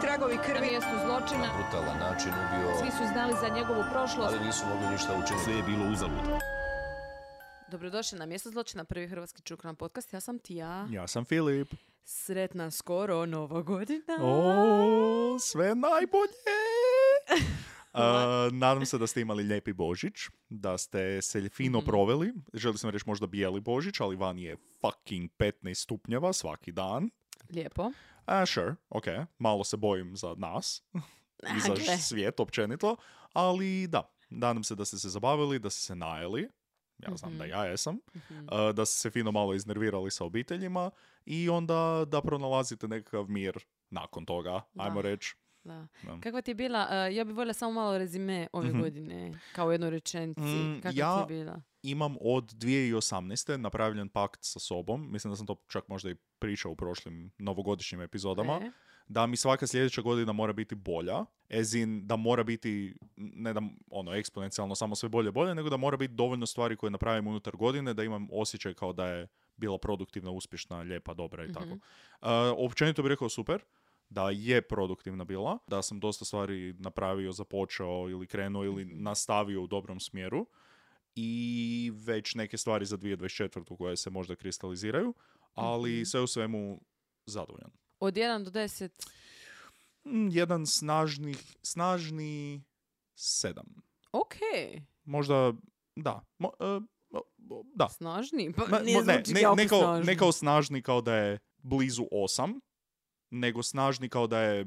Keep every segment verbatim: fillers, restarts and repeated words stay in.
tragovi Na krvi. mjestu zločina. Na brutalan način ubio, Svi su znali za njegovu prošlost. ali nisu mogli ništa učiniti. Sve je bilo uzalud. Dobrodošli na mjesto zločina, prvi hrvatski true crime podcast. Ja sam Tija. Ja sam Filip. Sretna skoro Nova godina. O, sve najbolje! Uh, nadam se da ste imali lijepi Božić, da ste se fino proveli. Želim sam reći možda bijeli Božić, ali van je fucking petnaest stupnjeva svaki dan. Lijepo. Uh, sure, ok. Malo se bojim za nas i za Gle. svijet općenito, ali da, nadam se da ste se zabavili, da ste se najeli. Ja znam da ja jesam. Uh, da ste se fino malo iznervirali sa obiteljima i onda da pronalazite nekakav mir nakon toga, Da. ajmo reći. Da. Da. Kakva ti je bila, uh, ja bih voljela samo malo rezime ove Mhm. godine, kao u jednoj rečenici. Mm, Kakva ja- ti je bila? Imam od dvije tisuće osamnaeste napravljen pakt sa sobom, mislim da sam to čak možda i pričao u prošlim novogodišnjim epizodama, E? da mi svaka sljedeća godina mora biti bolja, as in da mora biti, ne da ono eksponencijalno samo sve bolje bolje, nego da mora biti dovoljno stvari koje napravim unutar godine, da imam osjećaj kao da je bila produktivna, uspješna, lijepa, dobra i tako. Uh, općenito bih rekao super, da je produktivna bila, da sam dosta stvari napravio, započeo ili krenuo ili nastavio u dobrom smjeru i već neke stvari za dvije tisuće dvadeset četvrtu koje se možda kristaliziraju, ali sve u svemu zadovoljan. Od jedan do deset. Mm, Jedan snažni, snažni sedam. Ok. Možda, da. Mo, e, mo- mo- da. Snažni? Pa Ma- nije mo- ne, zvuči ne, jako ne, kao, snažno. ne kao snažni kao da je blizu osam, nego snažni kao da je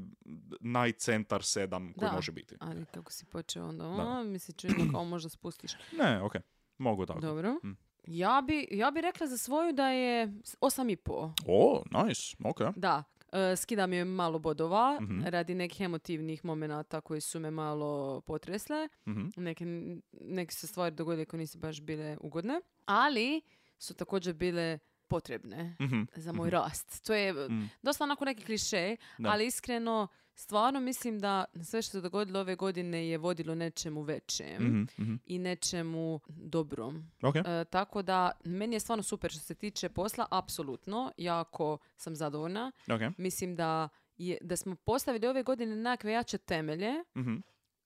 najcentar sedam koji Da. može biti. Ali kako si počeo onda, Da. a, mi se čini kao možda spustiš. Ne, ok. Mogu tako. Dobro. Mm. Ja bi, ja bi rekla za svoju da je osam i pol. O, nice. Ok. Da, e, skidam je malo bodova Mhm. radi nekih emotivnih momenata koji su me malo potresle. Mhm. Neke, neke se stvari dogodile koje nisu baš bile ugodne, ali su također bile potrebne Mhm. za moj rast. To je Mm. dosta onako neki kliše, Da. ali iskreno stvarno mislim da sve što se dogodilo ove godine je vodilo nečemu većem Mhm, mhm. i nečemu dobrom. Ok. E, tako da, meni je stvarno super što se tiče posla, apsolutno, jako sam zadovoljna. Ok. Mislim da, je, da smo postavili ove godine nekakve jače temelje Mhm.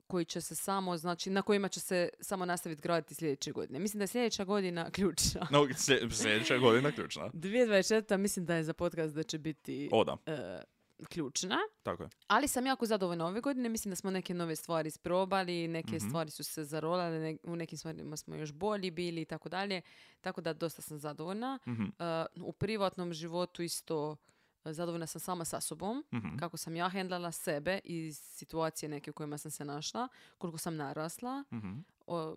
koji će se samo, znači, na kojima će se samo nastaviti graditi sljedeće godine. Mislim da je sljedeća godina ključna. No, slje- sljedeća godina ključna. dvije tisuće dvadeset četvrta mislim da je za podcast da će biti O, da. e, ključna. Tako je. Ali sam jako zadovoljna ove godine. Mislim da smo neke nove stvari isprobali, neke Mhm. stvari su se zarolale, ne- u nekim stvarima smo još bolji bili i tako dalje. Tako da dosta sam zadovoljna. Mhm. E, u privatnom životu isto e, zadovoljna sam sama sa sobom. Mhm. Kako sam ja hendlala sebe i situacije neke u kojima sam se našla. Koliko sam narasla. Mhm. O,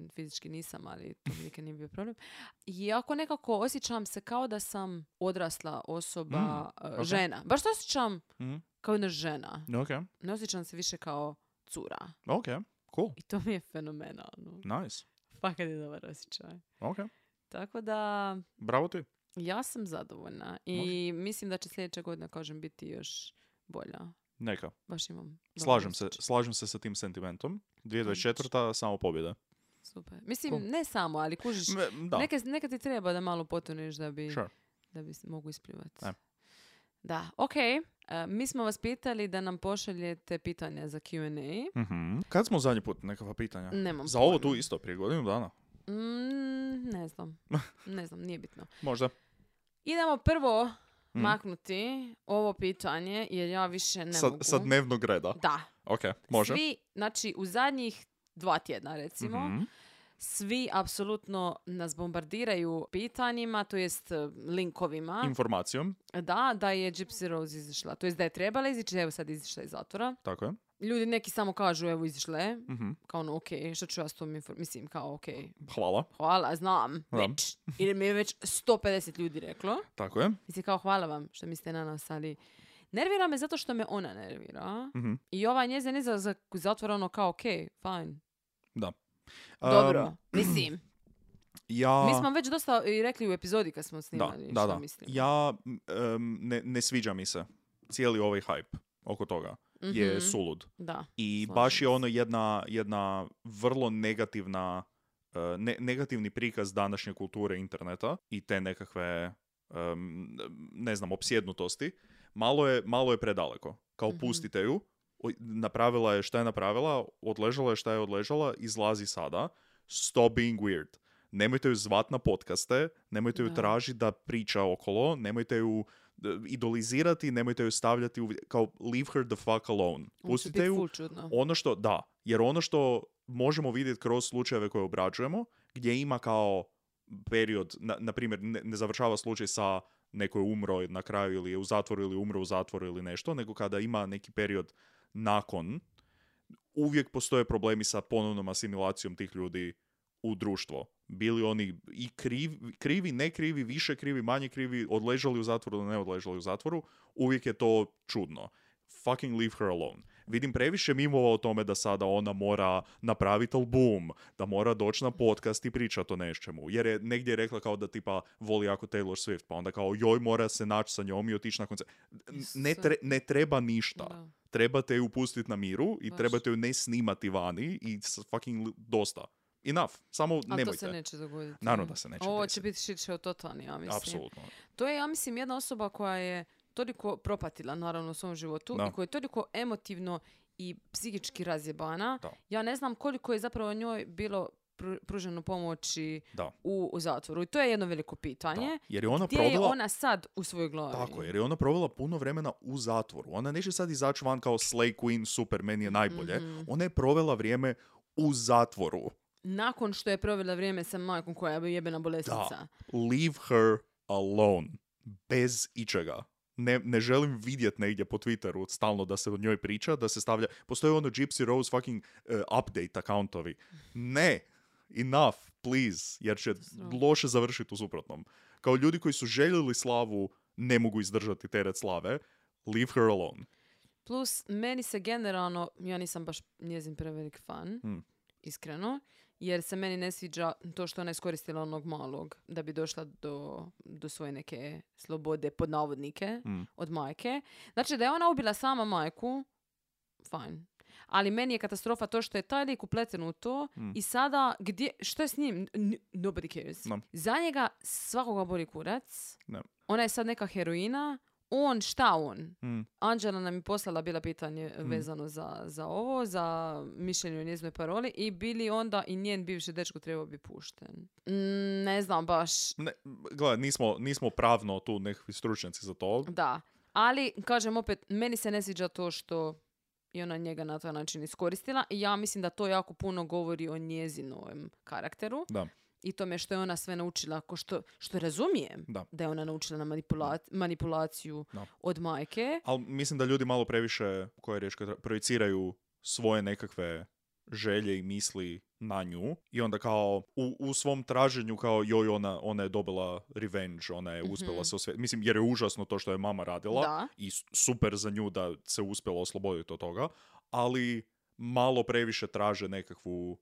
fizički nisam, ali to mi nikad nije bio problem. I ako nekako osjećam se kao da sam odrasla osoba, Mm, e, ok. žena. Baš se osjećam Mhm. kao jedna žena. Ok. Ne osjećam se više kao cura. Ok. Cool. I to mi je fenomenalno. Nice. Fakat je dobar osjećaj. Ok. Tako da, Bravo ti. ja sam zadovoljna. I mislim da će sljedeća godina, kažem, biti još bolja. Neka. Baš imam dobar Slažem se, osjećaj. slažem se sa tim sentimentom. dvije tisuće dvadeset četvrta samo pobjeda. Super. Mislim, Cool. ne samo, ali kužiš, Me- Da. neka, neka ti treba da malo potoneš da bi... Sure. da bi se mogu ispljuvati. E. Da, ok. E, mi smo vas pitali da nam pošaljete pitanja za Q and A. Mhm. Kad smo zadnji put nekakva pitanja? Nemam Za ovo pojma. tu isto, prije godinu dana. Mm, ne znam. Ne znam, nije bitno. Možda. Idemo prvo Mm. maknuti ovo pitanje, jer ja više ne Sa, mogu. sa dnevnog reda. Da. Ok, može. Svi, znači, u zadnjih dva tjedna, recimo, Mhm. svi apsolutno nas bombardiraju pitanjima, to jest e, linkovima. Informacijom, da, da je Gypsy Rose izišla. To jest da je trebala izići, evo sad izišla iz zatvora. tako je. Ljudi neki samo kažu, evo izišla je. Mhm. Kao ono, ok, što ću ja s tom inform... Mislim, kao, ok, Hvala, hvala, znam, Da. već. Jer mi je već sto pedeset ljudi reklo. tako je. Mislim, kao, hvala vam što mislite na nas, ali nervira me zato što me ona nervira. Mhm. I ova njezin izlazak iz zatvora, ono, kao, ok, fine. Da. Dobro, Um, mislim. ja... Mi smo već dosta i rekli u epizodi kad smo Da, snimali da, što da. mislim. Ja, em, ne, ne sviđa mi se cijeli ovaj hype oko toga. Je Mhm. sulud. Da. I slažem baš je se. ono jedna, jedna vrlo negativna, e, ne, negativni prikaz današnje kulture interneta i te nekakve, em, ne znam, opsjednutosti. Malo je, malo je predaleko. Kao Mhm. pustite ju, o- napravila je šta je napravila, odležala je šta je odležala, izlazi sada. Stop being weird. Nemojte ju zvat na podcaste, nemojte ju Da. tražiti da priča okolo, nemojte ju e, idolizirati, nemojte ju stavljati u... Kao, leave her the fuck alone. Ovo će Pustite biti ju. ful čudno. Ono što, da, jer ono što možemo vidjeti kroz slučajeve koje obrađujemo, gdje ima kao period, na, na primjer, ne, ne završava slučaj sa neko je umro na kraju ili je u zatvoru ili umro u zatvoru ili nešto, nego kada ima neki period nakon, uvijek postoje problemi sa ponovnom asimilacijom tih ljudi u društvo. Bili oni i krivi, krivi, ne krivi, više krivi, manje krivi, odležali u zatvoru ili ne odležali u zatvoru, uvijek je to čudno. Fucking leave her alone. Vidim previše mimova o tome da sada ona mora napraviti album, da mora doći na podcast i pričati o nečemu. Jer je negdje rekla kao da tipa voli jako Taylor Swift, pa onda kao joj mora se naći sa njom i otići na koncert. Ne, tre, ne treba ništa. Da. Trebate ju pustiti na miru i Baš. trebate ju ne snimati vani i s- fucking li- dosta. Enough. Samo Ali nemojte. to se neće dogoditi. Naravno da se neće Ovo desiti. će biti shit show totalni, ja mislim. Apsolutno. To je, ja mislim, jedna osoba koja je toliko propatila, naravno, u svom životu Da. i koja je toliko emotivno i psihički razjebana. Da. Ja ne znam koliko je zapravo njoj bilo pru- pruženo pomoći Da. u, u zatvoru. I to je jedno veliko pitanje. Da. Jer je ona Gdje provela... je ona sad u svojoj glavi? Tako, jer je ona provela puno vremena u zatvoru. Ona neće sad izaći van kao Slay Queen, super, meni je najbolje. Mhm. Ona je provela vrijeme u zatvoru. Nakon što je provela vrijeme sa majkom koja je jebena bolesnica. Da. Leave her alone. Bez ičega. Ne, ne želim vidjet negdje po Twitteru stalno da se o njoj priča, da se stavlja... Postoje ono Gypsy Rose fucking uh, update accountovi. Ne! Enough, please. Jer će Sram. loše završiti u suprotnom. Kao ljudi koji su željeli slavu, ne mogu izdržati teret slave. Leave her alone. Plus, meni se generalno, ja nisam baš njezin prevelik fan, Mm. iskreno, jer se meni ne sviđa to što ona iskoristila onog malog da bi došla do, do svoje neke slobode, pod navodnike, Mm. od majke. Znači, da je ona ubila sama majku, fajn. Ali meni je katastrofa to što je taj lik upleten u to Mm. i sada, gdje, što je s njim? N- nobody cares. No. Za njega svakoga boli kurac. Ne. Ona je sad neka heroina. On, šta on? Mm. Anđela nam je poslala bila pitanje vezano za, za ovo, za mišljenje o njezinoj paroli i bili onda i njen bivši dečko trebao bi pušten. Mm, ne znam baš. Ne, gledaj, nismo, nismo pravno tu nekakvi stručnjaci za to. Da. Ali, kažem opet, meni se ne sviđa to što je ona njega na taj način iskoristila i ja mislim da to jako puno govori o njezinom karakteru. Da. I tome što je ona sve naučila, ko što, što razumijem Da. da je ona naučila na manipula- manipulaciju Da. od majke. Ali mislim da ljudi malo previše, koja je riječ, koja tra- projiciraju svoje nekakve želje i misli na nju i onda kao u, u svom traženju kao joj ona, ona je dobila revenge, ona je uspjela se osvijestiti. Mislim, jer je užasno to što je mama radila Da. i s- super za nju da se uspjela osloboditi od toga, ali malo previše traže nekakvu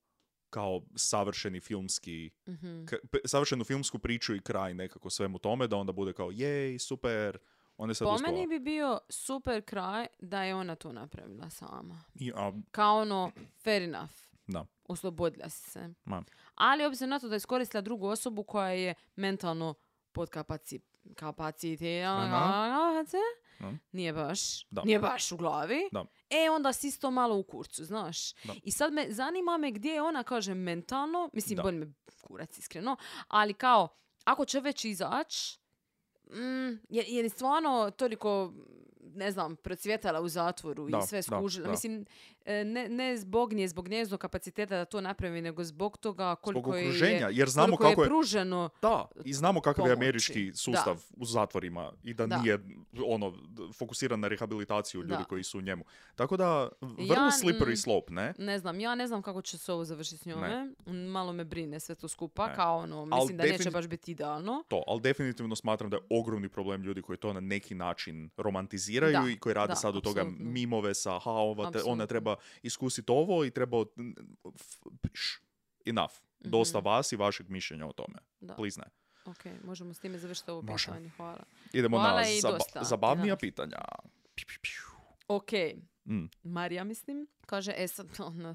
kao savršeni filmski Mhm. k- p- savršenu filmsku priču i kraj nekako svemu tome, da onda bude kao jej, super, onda je sad Po uspjela. meni bi bio super kraj da je ona to napravila sama. I, a, Kao ono, fair enough. da, Oslobodila si se. ma, Ali obzirom na to da je iskoristila drugu osobu koja je mentalno podkapacitirana, Mhm. nije baš, Da. nije baš u glavi. Da. E, onda si isto malo u kurcu, znaš. Da. I sad me zanima me gdje je ona, kaže, mentalno, mislim, Da. bolje me kurac, iskreno, ali kao, ako će već izaći, mm, je, je stvarno toliko, ne znam, procvjetala u zatvoru Da, i sve da, skužila. da. Mislim, e, ne, ne zbog nje, zbog njezinog kapaciteta da to napravi, nego zbog toga koliko zbog je, okruženja, jer znamo koliko kako je je, pruženo. da, i znamo kakav je pomoći. američki sustav u zatvorima i da, Da. nije ono d- fokusiran na rehabilitaciju ljudi Da. koji su u njemu. Tako da, vrlo Ja, slippery mm, slope, ne? Ne znam, ja ne znam kako će se ovo završiti s njome. Malo me brine sve to skupa, Ne. kao ono, Al mislim da neće defini- baš biti idealno. To, ali definitivno smatram da je ogromni problem ljudi koji to na neki način romantiziraju Da, i koji rade da, sad od toga apsolutno. mimove sa ha, ova te- ona Apsolutno. treba iskusiti ovo i treba... od- f- š- Enough. Dosta Mhm. vas i vašeg mišljenja o tome. Da. Please ne. Ok, možemo s time završiti ovo Možemo. pitanje. Hvala. Idemo Hvala na i zaba- dosta. zabavnija Da. pitanja. Piu, piu, piu. Ok, Mm. Marija mislim, kaže, e sad, ono,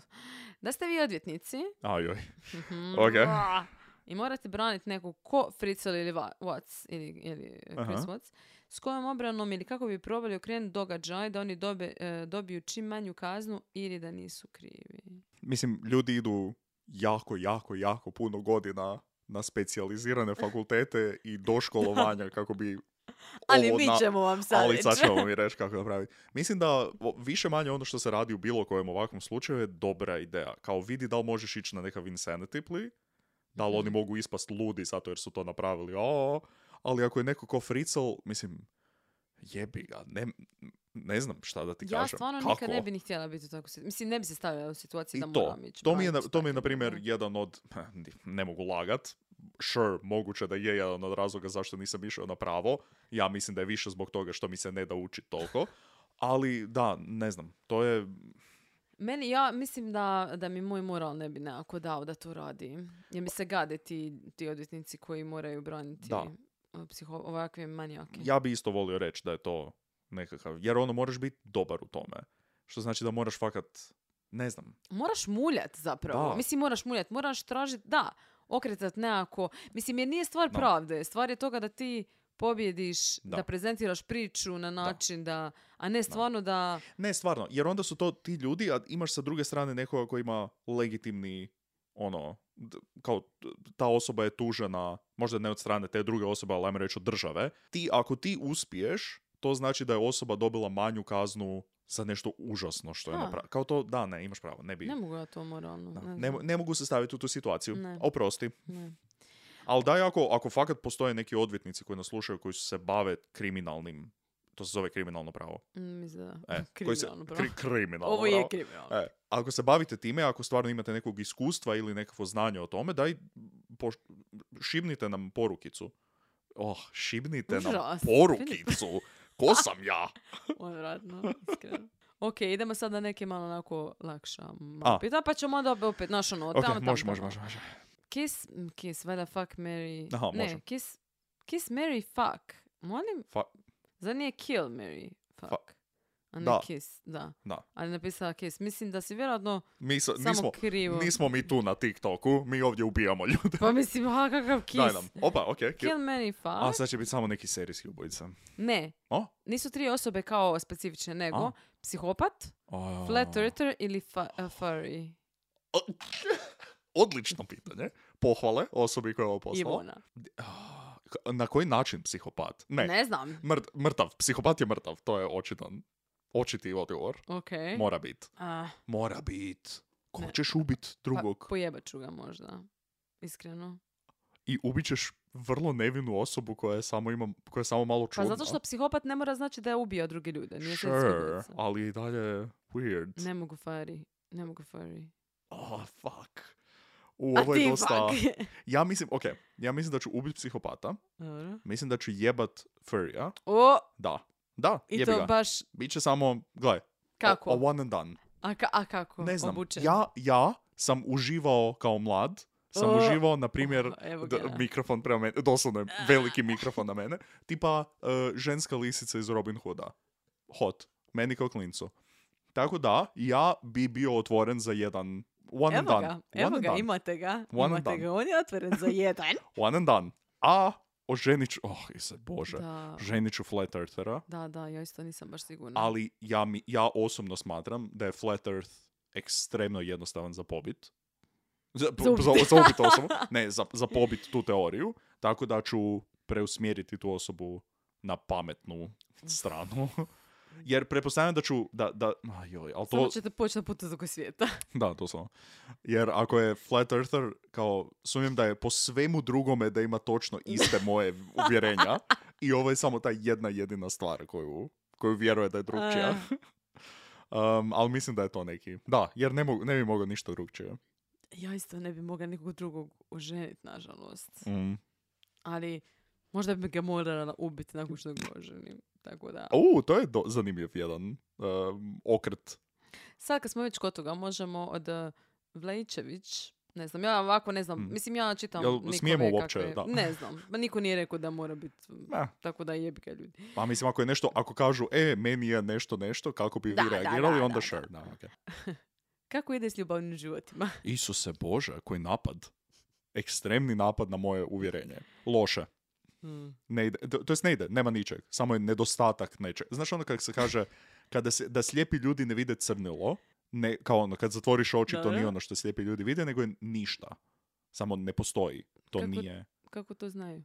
da ste vi odvjetnici. Ajoj. Mhm. Ok. Ah, I morate braniti nekog ko Fritzl ili Va- Watts ili, ili Chris Aha. Watts, s kojom obranom ili kako bi probali okrenuti događaj da oni dobe, e, dobiju čim manju kaznu ili da nisu krivi. Mislim, ljudi idu jako, jako, jako puno godina na specijalizirane fakultete i doškolovanja kako bi Ali ovo mi na- ćemo vam sad Ali reći. sad ćemo mi reći kako napraviti. Mislim da o, više manje ono što se radi u bilo kojem ovakvom slučaju je dobra ideja. Kao vidi da li možeš ići na nekav insanity plea, da li oni Mhm. mogu ispast ludi zato jer su to napravili. O, ali ako je neko ko Fritzl, mislim, jebi ga, ne, ne znam šta da ti Ja kažem. stvarno Kako? nikad ne bi ni htjela biti u takvoj situaciji. Mislim, ne bi se stavila u situaciju I da to, moram ići. to mi je, na, braniti to mi je na takve primjer ljude. jedan od, ne mogu lagat, sure, moguće da je jedan od razloga zašto nisam išao na pravo. Ja mislim da je više zbog toga što mi se ne da učiti toliko. Ali da, ne znam, to je, Meni, ja mislim da, da mi moj moral ne bi nekako dao da to radi. Jer mi se gade ti, ti odvjetnici koji moraju braniti Da. psiho, ovakve manijake. ja bi isto volio reći da je to nekakav, jer ono moraš biti dobar u tome. Što znači da moraš fakat, ne znam, Moraš muljat zapravo. Da. Mislim, moraš muljat. Moraš tražiti, da, okretat nekako. Mislim, jer nije stvar Da. pravde. Stvar je toga da ti pobjediš, da, Da. prezentiraš priču na način da, a ne stvarno da... ne stvarno, jer onda su to ti ljudi, a imaš sa druge strane nekoga koji ima legitimni, ono, d- kao t- ta osoba je tužena, možda ne od strane te druge osobe, ali ajmo reći od države. Ti, ako ti uspiješ, to znači da je osoba dobila manju kaznu za nešto užasno što je A. napravila. Kao to, da, ne, imaš pravo, ne bi. Ne mogu ja to moralno. Da, Ne, ne, znam. ne mogu se staviti u tu situaciju. Ne. Oprosti. Ne. Ali daj, ako, ako fakat postoje neki odvjetnici koji nas slušaju, koji se bave kriminalnim, to se zove kriminalno pravo. Mm, Mislim da. E, koji se, Kriminalno pravo. kri- kriminalno Ovo je pravo. kriminalno. E, ako se bavite time, ako stvarno imate nekog iskustva ili nekakvo znanje o tome, daj poš- šibnite nam porukicu. Oh, šibnite nam Užas. porukicu. Ko sam ja? Odvratno, iskreno. Ok, idemo sad na neke malo onako lakša A. malo pita, pa ćemo onda opet naš ono, Ok, tamo, tamo, može, može, tamo. može, može. Kiss, mm, kiss, valjda fuck, marry... Aha, ne, može. kiss, kiss, marry, fuck. Molim? Fa- Zar nije kill, marry, fuck? Fa- A ne Da. kiss, da. Da. Ali napisala kiss. Mislim da si vjerojatno Mi sa- samo nismo, krivo. nismo mi tu na TikToku, mi ovdje ubijamo ljude. Pa mislim, ha, kakav kiss. Daj nam. Opa, ok. kill. Kill, marry, fuck? A sad će biti samo neki serijski ubojica. Ne. O? Nisu tri osobe kao specifične, nego A. psihopat, O. flat earther ili fa- uh, furry. Odlično pitanje. Pohvale osobi koja je ovo poslala. Ivona. Na koji način psihopat? Ne. Ne znam. Mrt- mrtav. Psihopat je mrtav. To je očitan. Očiti odgovor. Ok. Mora bit. A, Mora bit. Ko Ne. ćeš ubit drugog? pa, pojebat ću ga možda. Iskreno. I ubit ćeš vrlo nevinu osobu koja je samo, ima, koja je samo malo Pa čudna. zato što psihopat ne mora znači da je ubio druge ljude. Nije sve Sure, svidjelica. ali i dalje weird. Ne mogu furry. Ne mogu furry. Oh, fuck. U, A ovo je ti dosta... fuck. Ja mislim, ok, ja mislim da ću ubit psihopata. Dobro. Mislim da ću jebat furrya. O, Da. Da, i jebi to ga. baš Biće samo, gledaj, kako? a, a one and done. A, ka- a kako? Ne znam, Obučen? ja, ja sam uživao kao mlad, sam O, uživao, na primjer, oh, evo d- ga. mikrofon prema mene, doslovno je veliki mikrofon na mene, tipa uh, ženska lisica iz Robin Hooda. Hot. Meni kao klincu. Tako da, ja bi bio otvoren za jedan one and Evo done. ga, One evo and ga, done. imate ga. One and imate done. ga. On je otvoren za jedan. One and done. A oženit ću, oh, Ise Bože, Da. ženit ću Flat Earthera, Da, da, ja isto nisam baš sigurna. ali ja, mi, ja osobno smatram da je Flat Earth ekstremno jednostavan za pobit. Za, Za ubit. za, za ubit osobu. Ne, za, za pobit tu teoriju. Tako da ću preusmjeriti tu osobu na pametnu stranu. Jer pretpostavljam da ću, da, da, a joj, ali Samo to, ćete poći na putu oko svijeta. da, to samo. Jer ako je Flat Earther, kao, sumnjam da je po svemu drugome da ima točno iste moje uvjerenja i ovo je samo ta jedna jedina stvar koju, koju vjeruje da je drugčija. Um, ali mislim da je to neki. Da, jer ne, mogu, ne bi mogao ništa drugčije. Ja isto ne bi mogla nikog drugog oženiti, nažalost. Mm. Ali možda bi ga morala ubiti nakon što ga oženim. Tako da. U, to je do, zanimljiv jedan um, okret. Sad kad smo već kod toga, možemo od uh, Vlajičević, ne znam, ja ovako ne znam, Mm. mislim ja čitam Jel Nikole smijemo uopće, kakve- da. Ne znam, ma niko nije rekao da mora biti, Ne. tako da jebi ga ljudi. Pa mislim, ako je nešto, ako kažu, e, meni je nešto, nešto, kako bi Da, vi da, reagirali, da, onda da, sure. da. Da, okay. Kako ide s ljubavnim životima? Isuse Bože, koji napad. ekstremni napad na moje uvjerenje. Loše. Hmm. Ne ide, to, to jest ne ide, nema ničeg. Samo je nedostatak nečeg. Znaš ono kako se kaže, kada se, da slijepi ljudi ne vide crnilo, ne, kao ono, kad zatvoriš oči, Da, to da. nije ono što slijepi ljudi vide, nego je ništa. Samo ne postoji. To Kako- nije... Kako to znaju?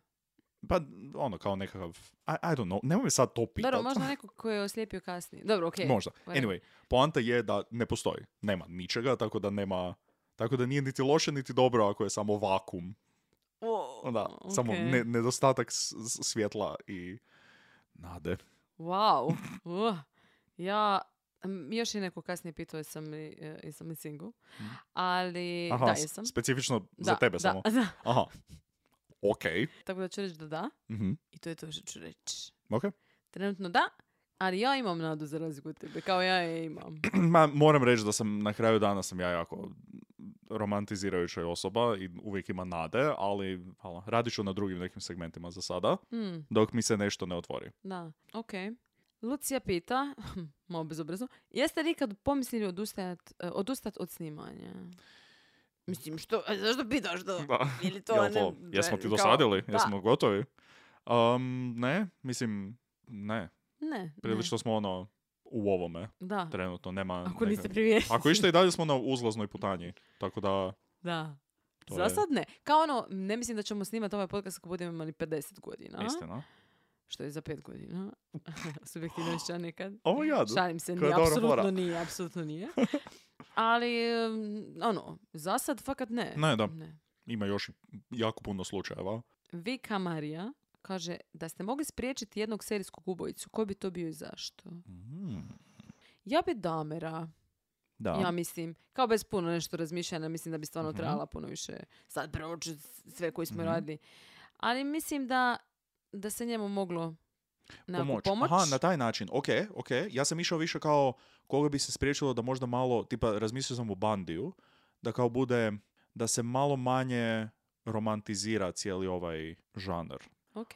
Pa, ono, kao nekakav... I, I don't know, nemoj me sad to pitat. Dobro, možda neko ko je oslijepio kasnije. Dobro, okej. Možda. whatever. Anyway, poanta je da ne postoji. Nema ničega, tako da nema... Tako da nije niti loše, niti dobro ako je samo vakum. O, Da, samo okej. ne, nedostatak s- s- svjetla i nade. Wow. Uh. Ja, m, još je neko kasnije pitao jesam li, e, jesam li single. Ali, Aha, da, s- jesam. specifično za Da, tebe da, samo. da. Aha. Ok. Tako da ću reći da da. Mhm. I to je to što ću reći. Ok. Trenutno da, ali ja imam nadu za razliku od tebe. Kao ja je imam. Ma, moram reći da sam na kraju dana sam ja jako romantizirajuća osoba i uvijek ima nade, ali hala, radit ću na drugim nekim segmentima za sada, Hmm, dok mi se nešto ne otvori. da, okej. Lucija pita, malo bezobrazno, jeste li ikad pomislili odustajat, e, odustat od snimanja? Mislim, što, a zašto pitaš to? Da. Ili to, Jel ne, to, jesmo ti kao- dosadili? da. Jesmo gotovi? Um, ne, mislim, ne. Ne, Prilično smo ono u ovome ne. Da, trenutno, nema... ako neka- niste primijetili. Ako išta i dalje smo na uzlaznoj putanji, tako da... Da. To Za je- sad ne. Kao ono, ne mislim da ćemo snimati ovaj podcast ako budemo imali pedeset godina. Istina. Što je za pet godina. Subjektivno išća nekad. Ovo jadu. Šalim se, Koja nije, dobra apsolutno fora. nije, apsolutno nije. Ali, um, ono, za sad fakat ne. Ne, da. ne. Ima još i jako puno slučajeva. Vika Marija kaže da ste mogli spriječiti jednog serijskog ubojicu. Koji bi to bio i zašto? Mm. Ja bi Damera. Da. Ja mislim, kao bez puno nešto razmišljanja, mislim da bi stvarno Mhm. trebala puno više sad proći sve koji smo Mhm. radili. Ali mislim da, da se njemu moglo nekako Pomoć. pomoć. Aha, na taj način. Ok, ok. Ja sam išao više kao koga bi se spriječilo da možda malo, tipa razmislio sam o Bandiju, da kao bude, da se malo manje romantizira cijeli ovaj žanr. Ok.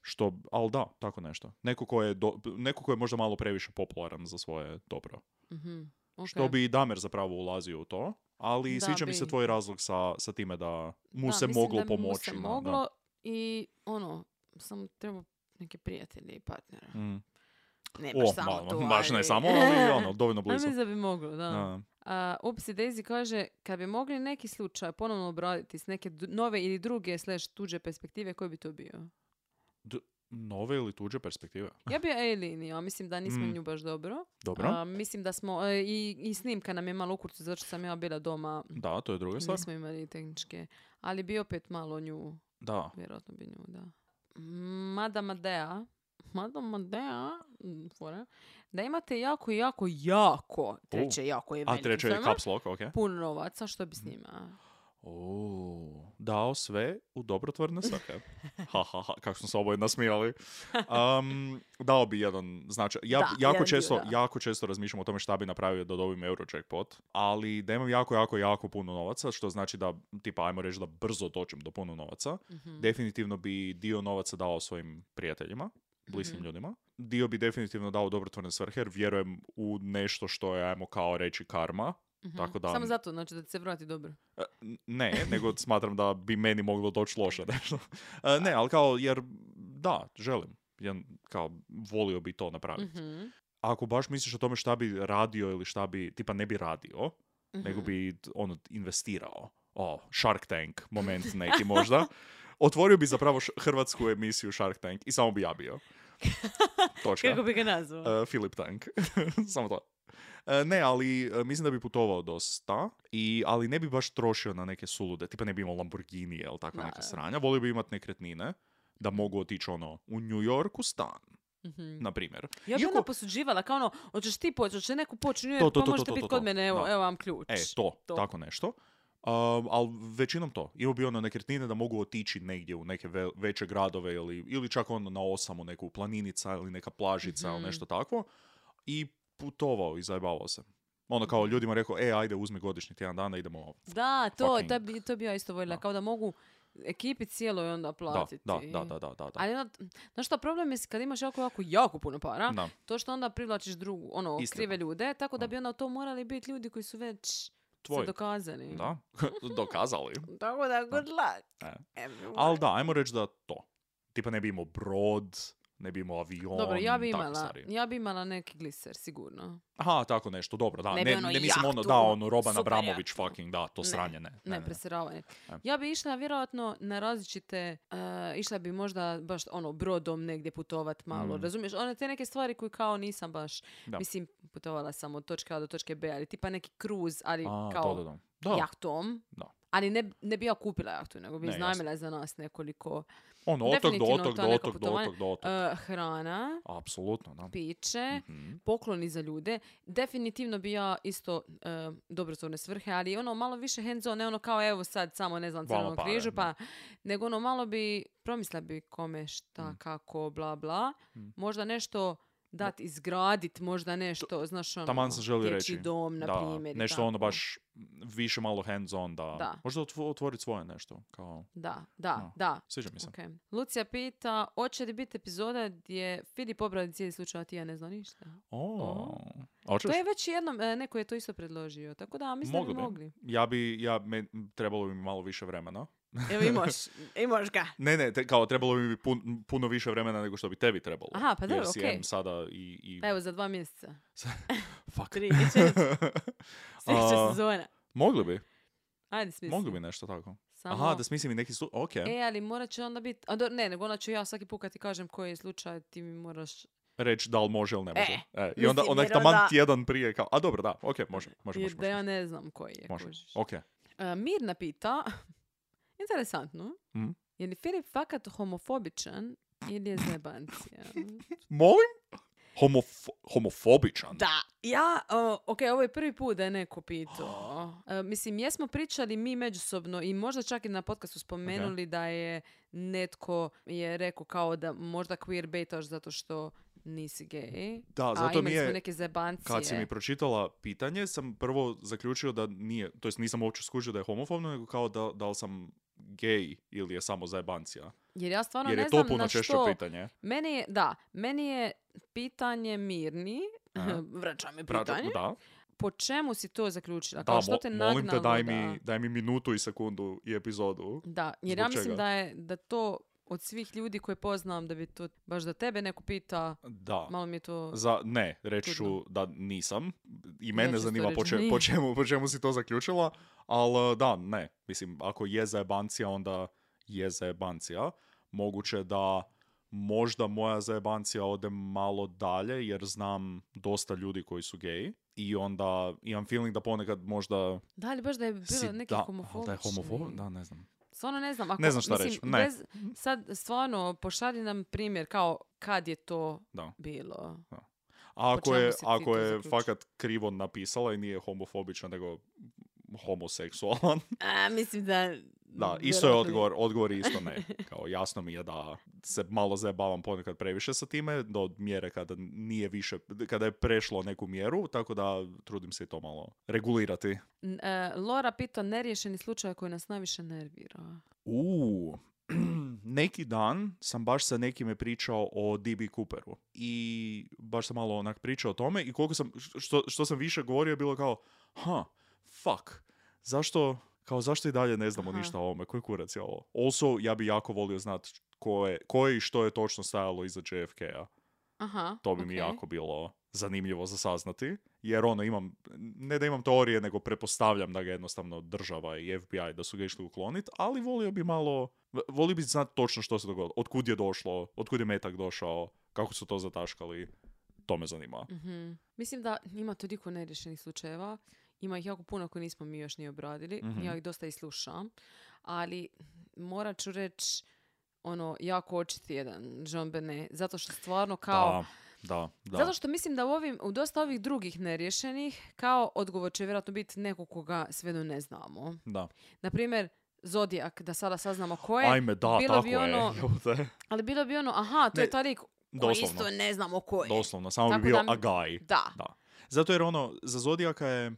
Što, ali da, tako nešto. Neko ko je, do, neko ko je možda malo previše popularan za svoje dobro. Mhm. ok. Što bi i Damer zapravo ulazio u to, ali Da, sviđa mi se bi. tvoj razlog sa, sa time da mu Da, se mislim moglo da bi mu pomoći. se na- moglo i ono, samo treba neke prijatelje i partnera. da. Mm. Ne baš O, samo ma- tu, baš ne ali- samo, ali ono, dovoljno Ali blizu. mislim da bi moglo, da. Da. A, Upsi Daisy kaže, kad bi mogli neki slučaj ponovno obraditi s neke d- nove ili druge slash tuđe perspektive, koji bi to bio? D- nove ili tuđe perspektive? Ja bi Aileen, ja mislim da nismo Mm. nju baš dobro. Dobro. A, mislim da smo, e, i, i snimka nam je malo u kurcu, zato što sam ja bila doma, Da, to je druga stvar. nismo imali tehničke. Ali bi opet malo nju, Da. vjerojatno bi nju, da. Mada Madea, Mada Madea, mm, fora, da imate jako, jako, jako, treće jako je A veliki treće je firma, caps lock, ok. puno novaca, što bi s njima? O, dao sve u dobrotvorne svrhe. ha, ha, ha, kako smo se oboje nasmijali. Um, dao bi jedan, znači, ja Da, jako, jedan često, dio, da. jako često razmišljam o tome šta bi napravio da dobim Eurojackpot, ali da imam jako, jako, jako puno novaca, što znači da, tipa, ajmo reći da brzo dođem do puno novaca. Mhm. Definitivno bi dio novaca dao svojim prijateljima, bliskim Mhm. ljudima. Dio bi definitivno dao u dobrotvorne svrhe, jer vjerujem u nešto što je, ajmo kao reći, karma. Mhm. Tako da- Samo zato, znači da ti se vrati dobro. E, n- Ne, nego smatram da bi meni moglo doći loše nešto. E, Ne, ali kao, jer da, želim. Ja, kao, volio bi to napraviti. Mhm. Ako baš misliš o tome šta bi radio ili šta bi, tipa ne bi radio, nego Mhm. bi ono, investirao. O, Shark Tank, moment neki možda. Otvorio bi zapravo š- hrvatsku emisiju Shark Tank i samo bi ja bio. Točka. Kako bi ga nazvao? Uh, Philip Tank. Samo to. E, ne, ali e, mislim da bi putovao dosta, i, ali ne bi baš trošio na neke sulude. Tipa ne bi imao Lamborghini ili takva Da, neka da. sranja. Volio bi imati nekretnine da mogu otići ono u New Yorku stan, Mhm. na primjer. Ja bi Iako- onda posuđivala, kao ono, hoćeš ti poći, hoće neko poći, To, to, pa to, možete to, biti to, kod to. mene, evo, Da. evo vam ključ. E, to, To. tako nešto. Um, ali većinom to. Imao bi ono nekretnine da mogu otići negdje u neke ve- veće gradove ili, ili čak ono na osam u neku planinica ili neka plažica ili Mhm. nešto takvo. I putovao i zajebavao se. Ono kao ljudima rekao, e, ajde uzmi godišnji tjedan dana, idemo. Da, to, fucking- to, bi, to bi ja isto voljela, Da. kao da mogu ekipi cijeloj onda Da, platiti. da, da, da, da, da. da. Ali onda, znaš što, problem je kad imaš jako, jako, jako puno para, Da. to što onda privlačiš drugu, ono, Istina. krive ljude, tako da Da. bi onda to morali biti ljudi koji su već tvoj. dokazani. Da, dokazali. Tako da, good luck. E. everyone. Ali da, ajmo reći da to. Tipa ne bi imao brod, ne bi imao avion, Dobro, ja bi takve imala, stvari. ja bi imala neki gliser, sigurno. Aha, tako nešto, dobro, da. Ne Ne, bi ne, ono mislim ono, jahtu, da, ono, Roban super Abramović jahtu. fucking, da, to Ne, sranje, ne. Ne, presiravanje. Ne. Ja bi išla vjerojatno na različite, uh, išla bi možda baš ono brodom negdje putovat malo, Mm. razumiješ? One te neke stvari koje kao nisam baš, Da. mislim, putovala sam od točke A do točke B, ali tipa neki kruz, ali A, kao da, da, da. Da, jahtom. Da. Ali ne, ne bi ja kupila jahtu, nego bi Ne, iznajmila za nas nekoliko ono, otok do definitivno otok, to do neko otok, do putovanje. otok, do otok. uh, hrana, Apsolutno, da. piće, Mhm. pokloni za ljude. Definitivno bi ja isto uh, dobrotvorne svrhe, ali ono malo više hands on, ne ono kao evo sad samo ne znam Vama crvenom pare, križu, da. pa nego ono malo bi promisla bi kome šta, Mm. kako, bla bla. Mm. Možda nešto dat izgradit, možda nešto, znaš ono, Taman sam želio dječji reći. dom, na Da, primjer. i nešto ono tako. baš više malo hands on, da. Da. Možda otv- otvoriti svoje nešto, kao, Da, da, No. da. sviđa mi se. Okay. Lucija pita, hoće li biti epizoda gdje Filip obradi cijeli slučaj, a ti ja ne znam ništa? O, a hoćeš? To je već jednom, e, neko je to isto predložio, tako da mislim Mogli da bi. bi mogli. Ja bi, ja, me, trebalo bi mi malo više vremena. Evo imaš, imaš ga. Ne, ne, te, kao trebalo bi mi pun, puno više vremena nego što bi tebi trebalo. Aha, pa dobro, Jer si okej. em sada i... i... Pa evo za dva mjeseca. Fuck. Tri, četiri. Sljedeća A, sezona. Mogli bi, Ajde smisli. mogli bi nešto tako. Samo... Aha, da smislim i neki slu... Ok. E, ali morat će onda biti... A do, ne, nego onda ću ja svaki put kad ti kažem koji je slučaj, ti mi moraš... Reći da li može ili ne može. E, E, I onda mislim, onak jer taman onda- tjedan prije kao... A dobro, da, ok, može, može, Jer može. da ja može, ne znam koji je. može. kužiš. Ok. E, Mirna pita, interesantno, Mhm. je li Filip fakat homofobičan ili je zebancija? Molim? Homofo- homofobičan? Da, ja, uh, ok, ovo je prvi put da je neko pitao. Uh, mislim, jesmo pričali mi međusobno i možda čak i na podcastu spomenuli da je netko je rekao kao da možda queer baitaš zato što nisi gay. Da, A zato mi imali smo je... neke zebancije. Kad si mi pročitala pitanje, sam prvo zaključio da nije, to jest nisam uopće skužio da je homofobno, nego kao da, da li sam gay ili je samo zajebancija. Jer ja stvarno Jer ne je to znam puno na češće što... pitanje. Meni je, da, meni je pitanje Mirni, Aha. vraćam mi Prađa- pitanje, Da, po čemu si to zaključila? da Kao što mo- te molim te nagnalo daj da... mi, daj mi minutu i sekundu i epizodu. Da, jer Zbog ja mislim čega? da je da to od svih ljudi koje poznam da bi to baš da tebe neko pita, Da. malo mi je to... Za, ne, reći ću Čudno. da nisam. I Ja mene ću isto zanima reći po, da če- nije. po, čemu, po čemu si to zaključila, ali da, ne. Mislim, ako je zajebancija, onda je zajebancija. Moguće da možda moja zajebancija ode malo dalje, jer znam dosta ljudi koji su geji. I onda imam feeling da ponekad možda... Da li baš da je bilo si- neki da, homofobični? Da je homofob? Da, ne znam. Stvarno ne znam. Ako, Ne znam šta mislim, reći, ne. Bez, sad stvarno pošalji nam primjer kao kad je to Da. bilo. A ako čemu je, si ti ako to je zaključio? fakat krivo napisala i nije homofobična, nego homoseksualan, A, mislim da... da, isto je vjerojatno odgovor, odgovor je isto ne. Kao jasno mi je da se malo zajebavam ponekad previše sa time, do mjere kada nije više, kada je prešlo neku mjeru, tako da trudim se i to malo regulirati. N- e, Lora pita neriješeni slučaj koji nas najviše nervira. Uuu, neki dan sam baš sa nekime pričao o D B Cooperu i baš sam malo onak pričao o tome i koliko sam, što, što sam više govorio je bilo kao, ha, fuck, zašto, kao zašto i dalje ne znamo Aha. ništa o ovome, koji kurac je ovo? Also, ja bi jako volio znat ko je, ko je i što je točno stajalo iza J F K-a. Aha, To bi mi okej. jako bilo zanimljivo za saznati, jer ono imam, ne da imam teorije, nego pretpostavljam da ga jednostavno država i F B I da su ga išli ukloniti, ali volio bi malo, volio bi znati točno što se dogodilo, otkud je došlo, otkud je metak došao, kako su to zataškali, to me zanima. Mhm. Mislim da ima toliko neriješenih slučajeva. Ima ih jako puno koje nismo mi još ni obradili. Mhm. Ja ih dosta i slušam. Ali morat ću reći ono, jako očiti jedan Jean Benet. Zato što stvarno kao... Da, da, da. Zato što mislim da u, ovim, u dosta ovih drugih neriješenih kao odgovor će vjerojatno biti neko koga svejedno ne znamo. Da. Naprimjer, Zodijak, da sada saznamo ko je. Ajme, da, bilo tako bi je. ono- Jebote. Ali bilo bi ono, aha, to Ne, je taj lik koji doslovno. isto ne znamo ko je. Doslovno, samo Tako bi bio da- a guy. Da. Da. Zato jer ono, za Zodijaka je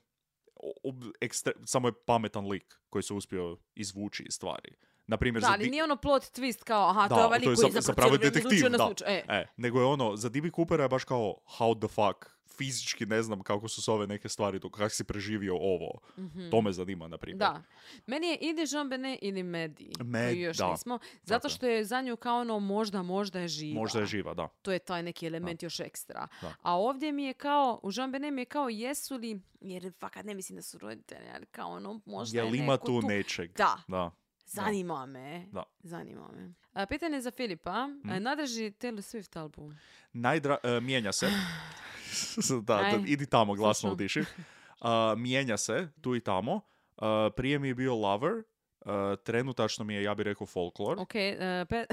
ob, ekstre, samo je pametan lik koji se uspio izvući iz stvari. Na primjer, Da, za ali Di- nije ono plot twist kao, aha, to Da, je ovaj lik to je koji za- zapravo zapravo cijelo vrijeme detektiv, odlučuje na da. slučaj. E. E, nego je ono, za D B. Coopera je baš kao how the fuck, fizički ne znam kako su se ove neke stvari, to kako si preživio ovo. Mhm. To me zanima, na primjer. Da. Meni je ili Jean Benet ili Medi, Med- koji još da. nismo. Zato Tako je. što je za nju kao ono možda, možda je živa. Možda je živa, da. To je taj neki element još ekstra. Da. A ovdje mi je kao, u Jean Benet mi je kao jesu li, jer fakat ne mislim da su roditelji, ali kao ono možda Jel je ima neko tu tu. nečeg? Da. Da. Zanima me. Da. Zanima me. A, pitanje za Filipa. Mhm. Mm. Nadrži Taylor Swift album. Najdra... e, mijenja se. da, da, Aj, idi tamo, glasno slušam. udiši. Uh, mijenja se, tu i tamo. Uh, prije mi je bio Lover. Uh, trenutačno mi je, ja bih rekao, Folklore. Ok, uh, pe...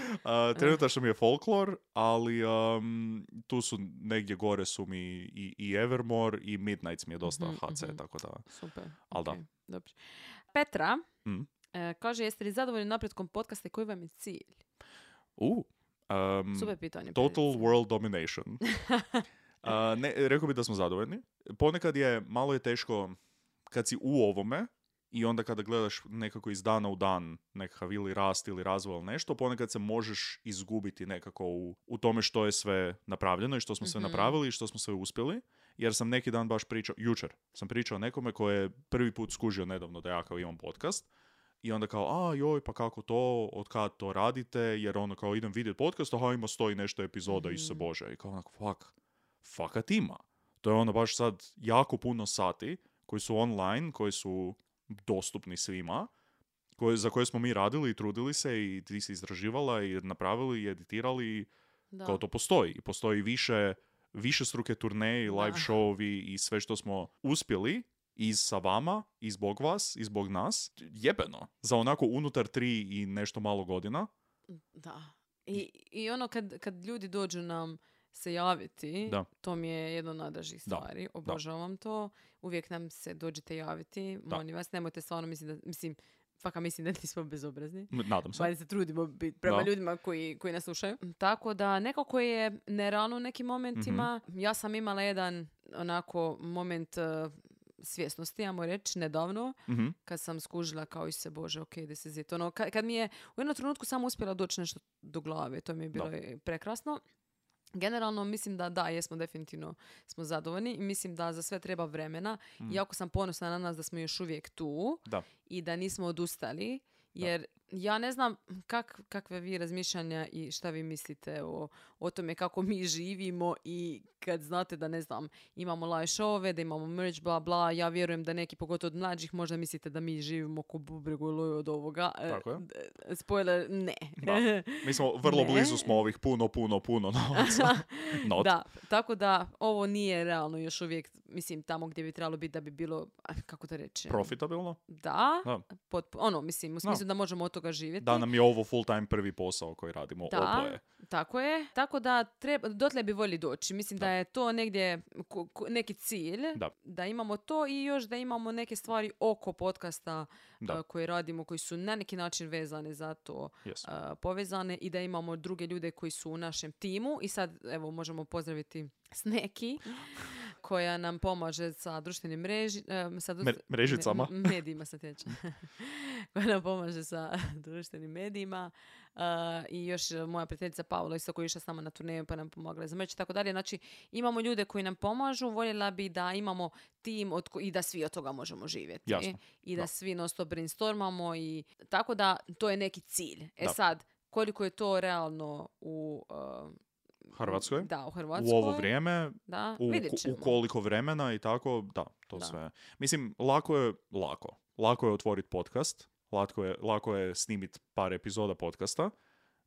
Uh, trenutačno mi je Folklore, ali um, tu su negdje gore su mi i, i Evermore i Midnights mi je dosta Mhm, H C, mhm. tako da... Super. Al da. ok, dobro. Petra Mm. e, kaže, jeste li zadovoljni napretkom podcasta i koji vam je cilj? Uh, um, Super pitanje. Total Perice. world domination. Uh, ne, rekao bi da smo zadovoljni. Ponekad je, malo je teško kad si u ovome i onda kada gledaš nekako iz dana u dan nekakav ili rast ili razvoj ili nešto, ponekad se možeš izgubiti nekako u, u tome što je sve napravljeno i što smo sve Mhm. napravili i što smo sve uspjeli. Jer sam neki dan baš pričao, jučer sam pričao nekome koji je prvi put skužio nedavno da ja kao imam podcast. I onda kao, a joj, pa kako to, od kad to radite, jer ono kao idem vidjeti podcast, aha ima sto i nešto epizoda, Mhm. Isuse Bože. I kao onako, fuck, fakat ima. To je ono baš sad jako puno sati koji su online, koji su dostupni svima, koje, za koje smo mi radili i trudili se i ti si izraživala i napravili i editirali i Da. kao to postoji. I postoji više, više struke turneje i live Da. showovi i sve što smo uspjeli i sa vama, i zbog vas, i zbog nas. Jebeno. Za onako unutar tri i nešto malo godina. Da. I, i ono kad, kad ljudi dođu nam se javiti, Da. to mi je jedno od najdražih stvari. Obožavam to. Uvijek nam se dođete javiti. Da. Molim vas, nemojte stvarno mislim da, mislim, faka mislim da nismo bezobrazni. M- Nadam se. Bajde se trudimo biti prema Da. ljudima koji, koji nas slušaju. Tako da nekako je nerealno u nekim momentima. Mhm. Ja sam imala jedan onako moment uh, svjesnosti, ajmo reći, nedavno, Mhm. kad sam skužila kao i se, Bože, ok, this is it. Ono, kad, kad mi je u jednom trenutku samo uspjela doći nešto do glave, to mi je bilo Da. i prekrasno. Generalno mislim da da, jesmo definitivno smo zadovoljni i mislim da za sve treba vremena. Mhm. Jako sam ponosna na nas da smo još uvijek tu Da. i da nismo odustali, jer ja ne znam kak, kakve vi razmišljanja i šta vi mislite o, o tome kako mi živimo i kad znate da, ne znam, imamo live showove, da imamo merch, bla, bla. Ja vjerujem da neki, pogotovo od mlađih, možda mislite da mi živimo ko bubregu i loju od ovoga. E, Tako je. d- Spoiler, ne. Da. Mi smo, vrlo Ne. blizu smo ovih puno, puno, puno novaca. Not. Da, tako da ovo nije realno još uvijek, mislim, tamo gdje bi trebalo biti da bi bilo, a, kako da reći, Profitabilno. da, Da. potpu- ono, mislim, u smislu da možemo od toga živjeti. Da nam je ovo full time prvi posao koji radimo Da, oboje. tako je. Tako da treba, dotle bi volili doći. Mislim da, je to negdje ko- ko- neki cilj, Da. imamo to i još da imamo neke stvari oko podcasta Da. a, koje radimo, koji su na neki način vezane za to, Yes. a, povezane i da imamo druge ljude koji su u našem timu i sad evo možemo pozdraviti Sneki koja nam pomaže sa društvenim mreži, em, sa Mer- mrežicama. me- medijima se tječe. koja nam pomaže sa društvenim medijima. Uh, I još uh, moja prijateljica Paula isto koja je išla s nama na turneju pa nam pomogla za merch i tako dalje. Znači imamo ljude koji nam pomažu, voljela bi da imamo tim od ko- i da svi od toga možemo živjeti. Jasno. I da, Da. svi non stop brainstormamo i tako da to je neki cilj. E Da. sad, koliko je to realno u uh, Hrvatskoj? Da, u Hrvatskoj. U ovo vrijeme, Da, u, vidjet u ćemo. koliko vremena i tako, da, to Da. sve. Mislim, lako je, lako. Lako je otvoriti podcast, lako je, lako je snimiti par epizoda podcasta.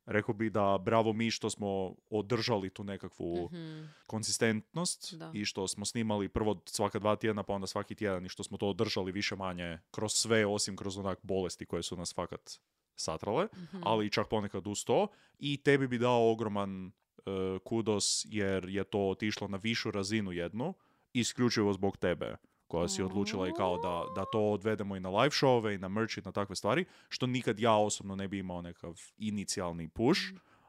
Rekao bi da bravo mi što smo održali tu nekakvu Mhm. konsistentnost Da. i što smo snimali prvo svaka dva tjedna pa onda svaki tjedan i što smo to održali više manje kroz sve osim kroz onak bolesti koje su nas fakat satrale, Mhm. ali čak ponekad uz to i tebi bi dao ogroman e, kudos jer je to otišlo na višu razinu jednu, isključivo zbog tebe koja si odlučila i kao da, da to odvedemo i na live showove i na merch i na takve stvari, što nikad ja osobno ne bi imao nekakav inicijalni push,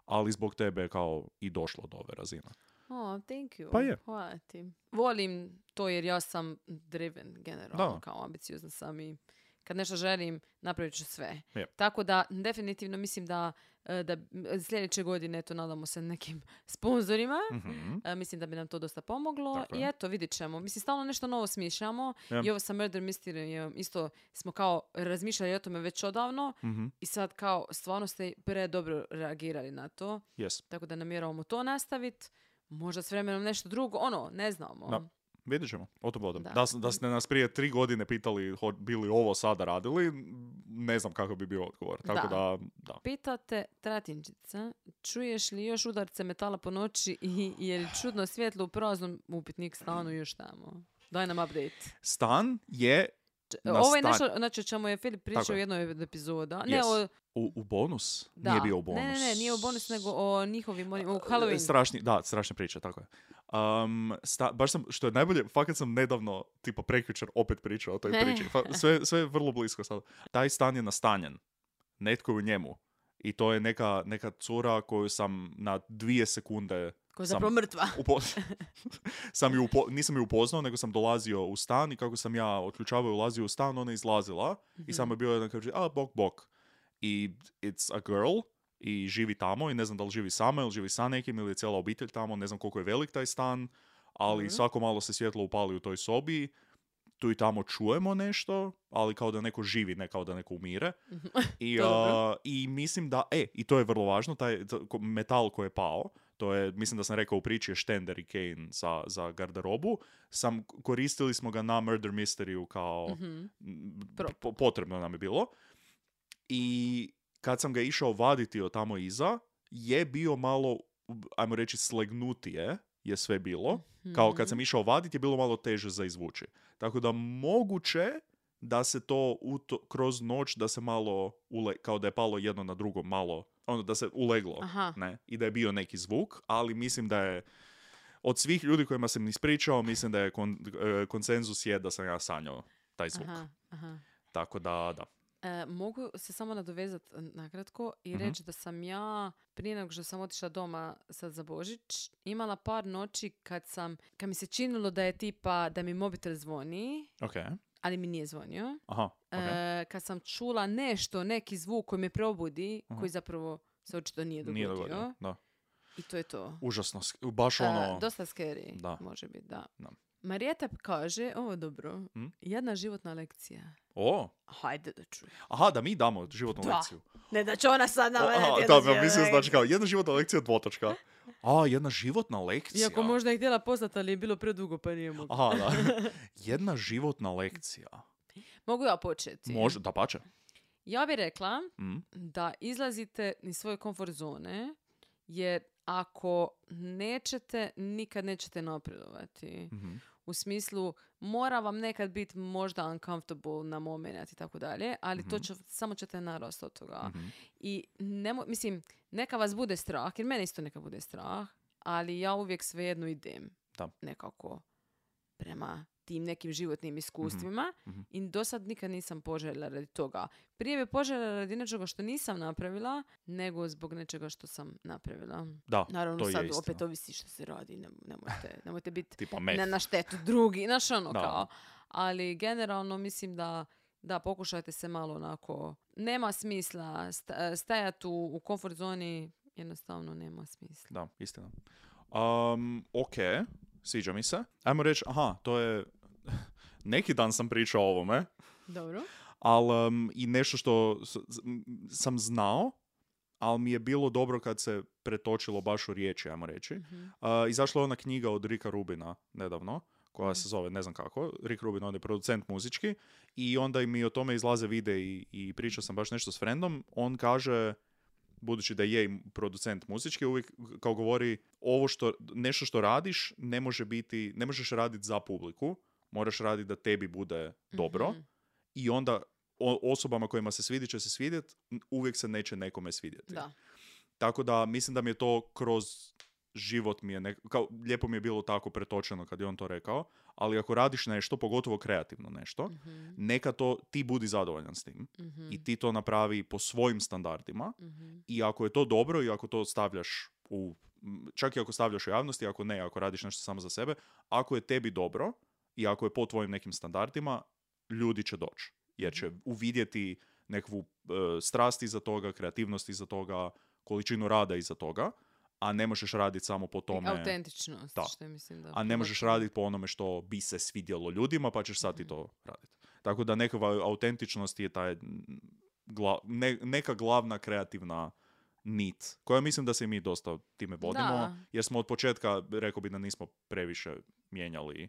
ali zbog tebe je kao i došlo do ove razine. Oh, thank you. Pa je. Hvala ti. Volim to jer ja sam driven generalno, Da. kao ambiciozna sam i kad nešto želim, napravit ću sve. Yep. Tako da, definitivno mislim da, da sljedeće godine, eto, nadamo se nekim sponzorima. Mm-hmm. Mislim da bi nam to dosta pomoglo. Tako I je. eto, vidit ćemo. Mislim, stalno nešto novo smišljamo. Yep. I ovo sa Murder Mystery isto smo kao razmišljali o tome već odavno. Mm-hmm. I sad kao stvarno ste pre dobro reagirali na to. Yes. Tako da namjeravamo to nastaviti. Možda s vremenom nešto drugo. Ono, ne znamo. Da. Vidjet ćemo, o tom potom. Da. Da, da ste nas prije tri godine pitali ho, bili ovo sada radili, ne znam kako bi bio odgovor. Tako da, Da. da. Pitate Tratinčica, čuješ li još udarce metala po noći i je li čudno svjetlo u praznom upitnik stanu još tamo? Daj nam update. Stan je na Ovo je stan- nešto, znači o čemu je Filip pričao Tako u je. jednoj od epizoda. Ne, Yes. o, U, u bonus? da. Nije bio u bonus. Ne, ne, ne, nije u bonus, nego o njihovim, onim- u Halloween. Strašni, da, strašne priče, tako je. Um, sta, baš sam, što je najbolje, fakat sam nedavno, tipa prekjučer, opet pričao o toj Ne. priči. Fa, sve, sve je vrlo blisko sad. Taj stan je nastanjen. Netko je u njemu. I to je neka, neka cura koju sam na dvije sekunde Koja je sam zapravo mrtva. upo- sam ju upo- nisam ju upoznao, nego sam dolazio u stan i kako sam ja otključavao i ulazio u stan, ona je izlazila i samo je bio jedan kaže, a, bok, bok. I it's a girl i živi tamo i ne znam da li živi sama ili živi sa nekim ili je cijela obitelj tamo, ne znam koliko je velik taj stan, ali Mhm. svako malo se svjetlo upali u toj sobi, tu i tamo čujemo nešto, ali kao da neko živi, ne kao da neko umire. I, Dobro. uh, I mislim da, e, i to je vrlo važno, taj to- ko- metal koji je pao, to je, mislim da sam rekao u priči je štender i Kane za, za garderobu, sam, koristili smo ga na Murder Mystery-u kao Mhm. m, Prop. po- potrebno nam je bilo. I kad sam ga išao vaditi od tamo iza, je bio malo, ajmo reći, slegnutije je sve bilo. Kao kad sam išao vaditi je bilo malo teže za izvući. Tako da moguće da se to u to kroz noć da se malo, ule, kao da je palo jedno na drugo malo, ono da se uleglo. Aha. Ne? I da je bio neki zvuk, ali mislim da je od svih ljudi kojima sam ispričao, mislim da je kon, e, konsenzus je da sam ja sanjao taj zvuk. Aha, aha. Tako da, da. E, mogu se samo nadovezati nakratko i Mhm. reći da sam ja, prije nego što sam otišla doma sad za Božić, imala par noći kad sam, kad mi se činilo da je tipa, da mi mobitel zvoni, Ok. ali mi nije zvonio. Aha, ok. E, kad sam čula nešto, neki zvuk koji me probudi, Mhm. koji zapravo se očito nije dogodio. Nije dogodio, da. I to je to. Užasno, sk- baš E, ono... dosta scary, Da. može biti, da. Da. Marijeta kaže, ovo dobro, Hm? jedna životna lekcija. O, Hajde da čujem. aha, da mi damo životnu Da. lekciju. Ne da će ona sad nama O, aha, dati da, jednu ja životnu mislim znači lekciju. kao jedna životna lekcija dvotočka. A, jedna životna lekcija. Iako možda je htjela poslati, ali je bilo predugo pa nije mogla. Aha, da. Jedna životna lekcija. Mogu ja početi? Može, da pače. Ja bih rekla Mm. da izlazite iz svoje komfort zone, jer ako nećete, nikad nećete napredovati. Mhm. U smislu, mora vam nekad biti možda uncomfortable na moment i tako dalje, ali to Mhm. će, samo ćete narasti od toga. Mhm. I nemo, mislim, neka vas bude strah, jer mene isto neka bude strah, ali ja uvijek svejedno idem Da. nekako prema tim nekim životnim iskustvima Mhm. i do sad nikad nisam poželjela radi toga. Prije bi poželjela radi nečega što nisam napravila, nego zbog nečega što sam napravila. Da, Naravno, to je sad istina. opet ovisi što se radi, ne, nemojte, nemojte biti Tipa meth. ne na štetu drugi, znaš ono Da. kao. Ali generalno mislim da da, pokušajte se malo onako, nema smisla sta- stajati u, u komfort zoni, jednostavno nema smisla. Da, istina. Um, ok, sviđa mi se. Ajmo reći, aha, to je... Neki dan sam pričao o ovome, Dobro. ali um, i nešto što s- s- m, sam znao, ali mi je bilo dobro kad se pretočilo baš u riječi, ajmo reći. Mhm. Uh, izašla je ona knjiga od Ricka Rubina nedavno, koja Mhm. se zove, ne znam kako, Rick Rubin, on je producent muzički, i onda mi o tome izlaze videi i, i pričao sam baš nešto s frendom. On kaže, budući da je i producent muzički, uvijek kao govori, ovo što, nešto što radiš ne može biti, ne možeš raditi za publiku, moraš raditi da tebi bude dobro, Mhm. i onda o- osobama kojima se svidi će se svidjeti, uvijek se neće nekome svidjeti. Da. Tako da mislim da mi je to kroz život mi je, nek- kao, lijepo mi je bilo tako pretočeno kad je on to rekao, ali ako radiš nešto, pogotovo kreativno nešto, Mhm. neka to ti budi zadovoljan s tim Mhm. i ti to napravi po svojim standardima, Mhm. i ako je to dobro i ako to stavljaš u, m, čak i ako stavljaš u javnosti, ako ne, ako radiš nešto samo za sebe, ako je tebi dobro i ako je po tvojim nekim standardima, ljudi će doći. jer će uvidjeti nekakvu uh, strast iza toga, kreativnost iza toga, količinu rada iza toga, a ne možeš raditi samo po tome... Autentičnost, da. što je, mislim da... A ne možeš raditi po onome što bi se svidjelo ljudima, pa ćeš sad i to raditi. Tako da nekakva autentičnost je taj, gla, ne, neka glavna kreativna nit, koja mislim da se i mi dosta time vodimo, da. jer smo od početka, rekao bi da nismo previše mijenjali.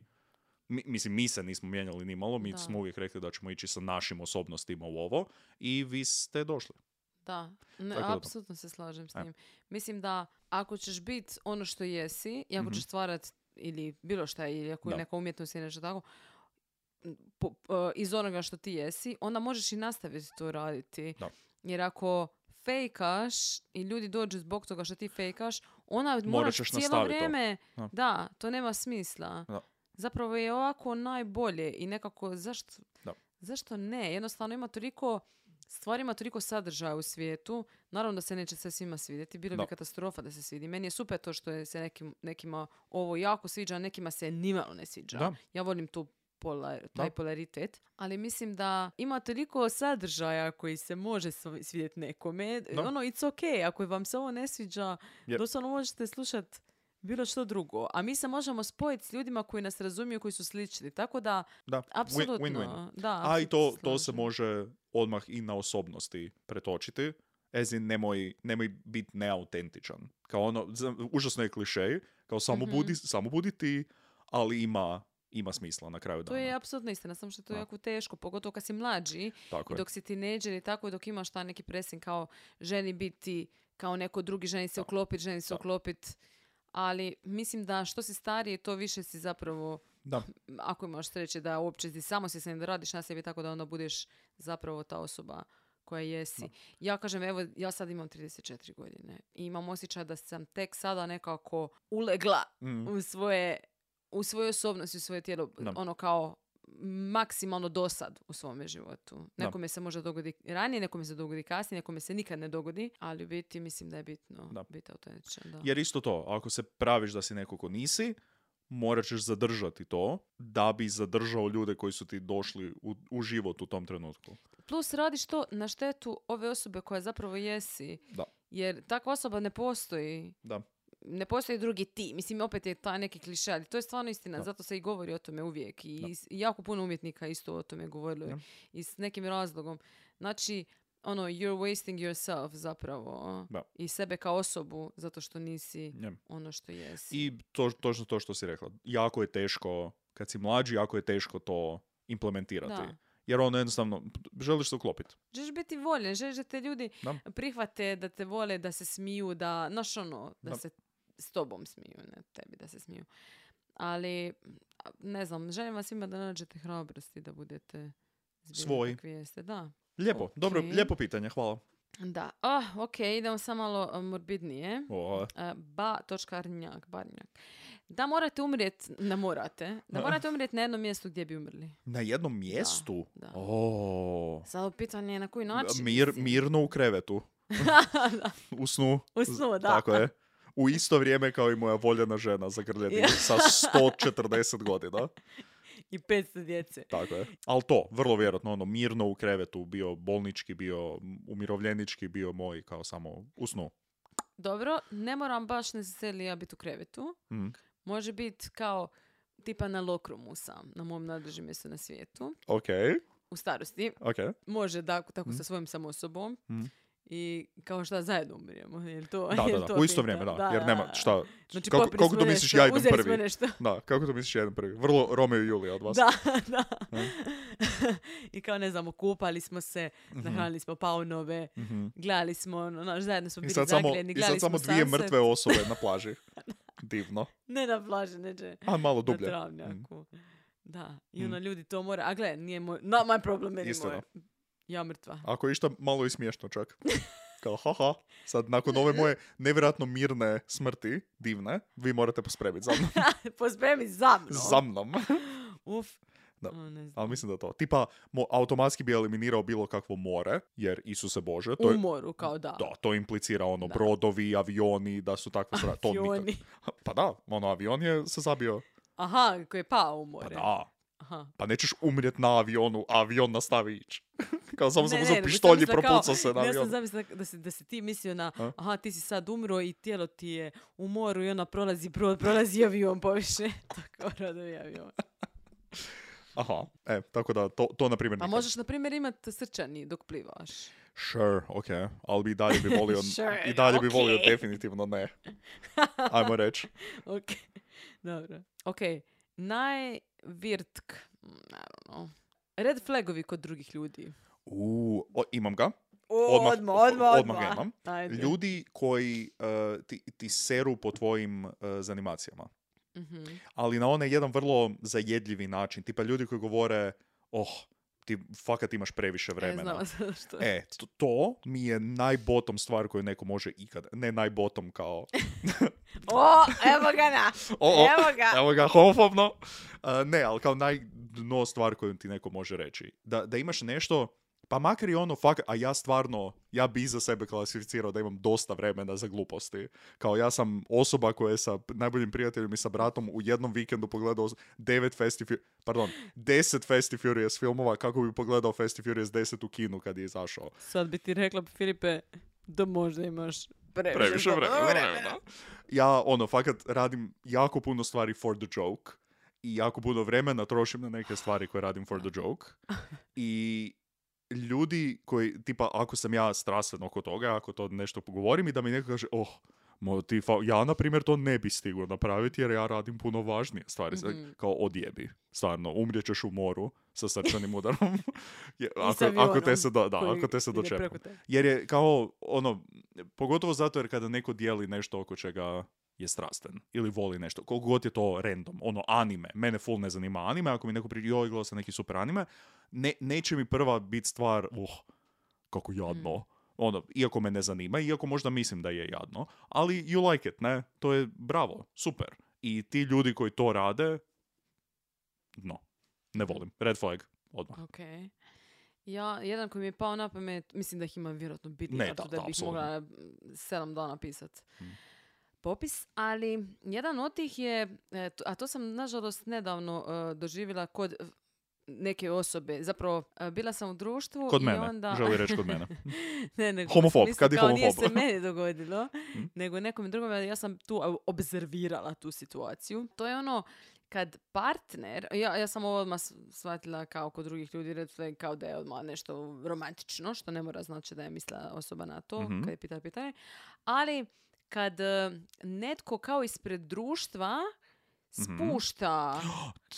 Mi, mislim, mi se nismo mijenjali ni malo, mi da. smo uvijek rekli da ćemo ići sa našim osobnostima u ovo i vi ste došli. Da, ne, Tako apsolutno se slažem s E. tim. Mislim da ako ćeš biti ono što jesi i ako Mhm. ćeš stvarati ili bilo šta, ili ako je Da. neka umjetnost ili nešto tako, po, po, iz onoga što ti jesi, onda možeš i nastaviti to raditi. Da. Jer ako fejkaš i ljudi dođu zbog toga što ti fejkaš, ona Morat moraš ćeš cijelo nastaviti to. vrijeme... Da. Da, to nema smisla. Da. Zapravo je ovako najbolje i nekako zašto, Da. zašto ne? Jednostavno ima toliko... Stvari ima toliko sadržaja u svijetu, naravno da se neće sve svima svidjeti, bilo Da. bi katastrofa da se svidi. Meni je super to što je se nekim, nekima ovo jako sviđa, a nekima se nimalo ne sviđa. Da. Ja volim tu polar, taj Da. polaritet, ali mislim da ima toliko sadržaja koji se može sv- svidjeti nekome. Da. Ono, it's okay, ako vam se ovo ne sviđa, Yep. doslovno možete slušati bilo što drugo. A mi se možemo spojiti s ljudima koji nas razumiju, koji su slični. Tako da, Da, apsolutno. win, win-win. Da, A i to, apsolutno to se slažem. može odmah i na osobnosti pretočiti. As in, nemoj, nemoj biti neautentičan. Kao ono, za- užasno je klišej, kao samo, Mhm. budi, samo budi ti, ali ima, ima smisla na kraju To dana. je apsolutno istina, samo što je to Da. jako teško, pogotovo kad si mlađi Tako i je. dok si tinejdžer i tako, i dok imaš taj neki pressing kao ženi biti kao neko drugi, ženi se Da. uklopiti, ženi se Da. uklopiti. Ali mislim da što si stariji, to više si zapravo, Da, ako imaš sreće da uopće si samo si se da radiš na sebi, tako da onda budeš zapravo ta osoba koja jesi. Da. Ja kažem, evo, ja sad imam trideset četiri godine i imam osjećaj da sam tek sada nekako ulegla mm, u svoje, u svoju osobnost i u svoje tijelo, Da. ono kao maksimalno dosad u svome životu. Da. Nekome se može dogodi ranije, nekome se dogodi kasnije, nekome se nikad ne dogodi, ali u biti mislim da je bitno Da. biti autentičan. Da. jer isto to, ako se praviš da si neko ko nisi, morat ćeš zadržati to da bi zadržao ljude koji su ti došli u, u život u tom trenutku. Plus radiš to na štetu ove osobe koja zapravo jesi. Da. Jer takva osoba ne postoji. Da. Ne postoji drugi ti. Mislim, opet je taj neki kliše, ali to je stvarno istina. Da. Zato se i govori o tome uvijek. I, Da. i jako puno umjetnika isto o tome govorilo. Da. I s nekim razlogom. Znači, ono, you're wasting yourself zapravo. Da. I sebe kao osobu, zato što nisi Ja. ono što jesi. I to, točno to što si rekla. Jako je teško, kad si mlađi, jako je teško to implementirati. Da. Jer ono jednostavno, želiš se uklopiti. Želiš biti voljen, želiš da te ljudi Da. prihvate, da te vole, da se smiju, da, znaš ono, da, Da. se s tobom smiju, ne tebi da se smiju. Ali, a, ne znam, želim vas svima da nađete hrabrosti, da budete zbilja Svoji. kakvi jeste. Da. Lijepo, Ok. dobro, lijepo pitanje, hvala. Da. Oh, ok, idemo samo malo a, morbidnije. O, A, ba, točka Arnjak, Barnjak. Da morate umrijeti, ne morate, da morate umrijeti na jednom mjestu gdje bi umrli. na jednom mjestu? da. O, Sad pitanje je na koji način. mir, mislim. mirno u krevetu. Da. U snu. U snu, da. Tako je. U isto vrijeme kao i moja voljena žena zagrljeni Ja. sa sto četrdeset godina. I petsto djece. Tako je. Ali to, vrlo vjerojatno, ono, mirno u krevetu, bio bolnički, bio umirovljenički, bio moj, kao samo u snu. Dobro, ne moram baš necesarily ja biti u krevetu. Mm. Može biti kao tipa na lokrumu sam, na mom najdražem mjestu na svijetu. Ok, U starosti. ok. Može da, tako Mm. sa svojim sam osobom. Mm. I kao šta zajedno umrijemo. Jel to, Da, jel da, to da, u isto pita? vrijeme, da. Jer nema, šta, Znači, kako, popili kako smo to misliš nešto, ja idem uzeli smo prvi? nešto. Da, kako to misliš ja idem prvi? Vrlo Romeo i Julija od vas. Da, da. Mm. I kao ne znam, okupali smo se, Mhm. nahranili smo paunove, Mhm. gledali smo, ono, znaš, zajedno smo I bili sad samo, zagrijeni, i gledali sad samo smo dvije sunset. mrtve osobe na plaži. Divno. Ne na plaži, neđe. A malo Na dublje. travnjaku. Da, i Mm. ono ljudi to mora, a gle, nije moj, not my problem Istina. anymore. Ja mrtva. Ako je išta malo i smiješno čak. Kao, haha, sad nakon ove moje nevjerojatno mirne smrti, divne, vi morate pospremiti za mnom. Pospremi za mnom. za mnom. Uf. Da. O, ne znam. Ali mislim da to. Tipa, mo, automatski bi eliminirao bilo kakvo more, jer Isuse Bože, to je, U moru, kao da. da, to implicira ono Da. brodovi, avioni, da su takve stvari. To nikad- Avioni. Pa da, ono avion je se zabio. Aha, koji je pao u Pa more. da. Aha. Pa nećeš umrijet na avionu, a avion nastavi ići. Kao samo sam Ne, uzeo ne, nego pištolj i sam mislila propucao kao- se na Ja sam avion. zamislila da si, da si ti mislio na, A? aha, ti si sad umro i tijelo ti je u moru i ona prolazi brod, prolazi avion poviše. Tako rodovi avion. Aha, e, tako da to, to na primjer Pa nikad. možeš, na primjer, imati srčani dok plivaš. Sure, ok, ali bi dalje bi volio, Sure, i dalje bi ok. volio definitivno ne. Ajmo reći. Ok, dobro. Ok, najvirtk, mm, I don't know. Red flagovi kod drugih ljudi. U, o, imam ga. Odmah, Odmah, odmah, odmah ga imam. Ajde. Ljudi koji uh, ti, ti seru po tvojim uh, zanimacijama. Mhm. Ali na onaj jedan vrlo zajedljivi način. Tipa ljudi koji govore, oh, ti fakat imaš previše E, vremena. znamo sada što. E, to, to mi je najbotom stvar koju neko može ikad. Ne najbotom kao... O, evo ga na. O, o, Evo ga. Evo ga, homofobno. Uh, ne, ali kao najdno stvar koju ti neko može reći. Da, da imaš nešto, pa makar i ono, fak, a ja stvarno, ja bi za sebe klasificirao da imam dosta vremena za gluposti. Kao ja sam osoba koja je sa najboljim prijateljem i sa bratom u jednom vikendu pogledao devet Fast and Fu- pardon, deset Fast and Furious filmova, kako bi pogledao Fast and Furious deset u kinu kad je izašao. Sad bi ti rekla, Filipe, da možda imaš previše, Previše vremena. vremena. Ja, ono, fakat radim jako puno stvari for the joke i jako puno vremena trošim na neke stvari koje radim for the joke. I ljudi koji, tipa, ako sam ja strastven oko toga, ako to nešto pogovorim i da mi neko kaže, oh, mo, ti fa- ja, na primjer, to ne bi stigao napraviti jer ja radim puno važnije stvari. Mhm. Kao odjebi. Stvarno, umrijećeš u moru sa srčanim udarom. Je- ako, s ako te avionom se, do, da, koji ako te se ide dočepam. preko tebe. Jer je kao, ono, pogotovo zato jer kada neko dijeli nešto oko čega je strastven ili voli nešto, koliko god je to random, ono anime, mene full ne zanima anime, ako mi neko priđe, joj, gledao sam neki super anime, ne, neće mi prva biti stvar, uh, kako jadno, Mm. ono, iako me ne zanima, iako možda mislim da je jadno, ali you like it, ne, to je bravo, super. I ti ljudi koji to rade, no, ne volim, red flag, odmah. Ok. Ja, jedan koji mi je pao na pamet, mislim da ih ima vjerojatno biti, Ne, da, da, da, da, bih apsolutno. mogla mm, sedam dana pisat. Mm. Popis, ali jedan od tih je, e, to- a to sam nažalost nedavno e, doživjela kod e, neke osobe. Zapravo, e, bila sam u društvu Kod i mene, onda... želi reći kod mene. ne, nego Homofob, mislim, kad je kao nije homofob. se meni dogodilo, Mm. nego nekom drugom, ja sam tu a, obzervirala tu situaciju. To je ono, kad partner, ja, ja sam ovo odmah s- shvatila kao kod drugih ljudi, red flag, kao da je odmah nešto romantično, što ne mora znači da je mislila osoba na to, Mhm. kad je pitala pitanje. Ali kad e, netko kao ispred društva Mhm. spušta,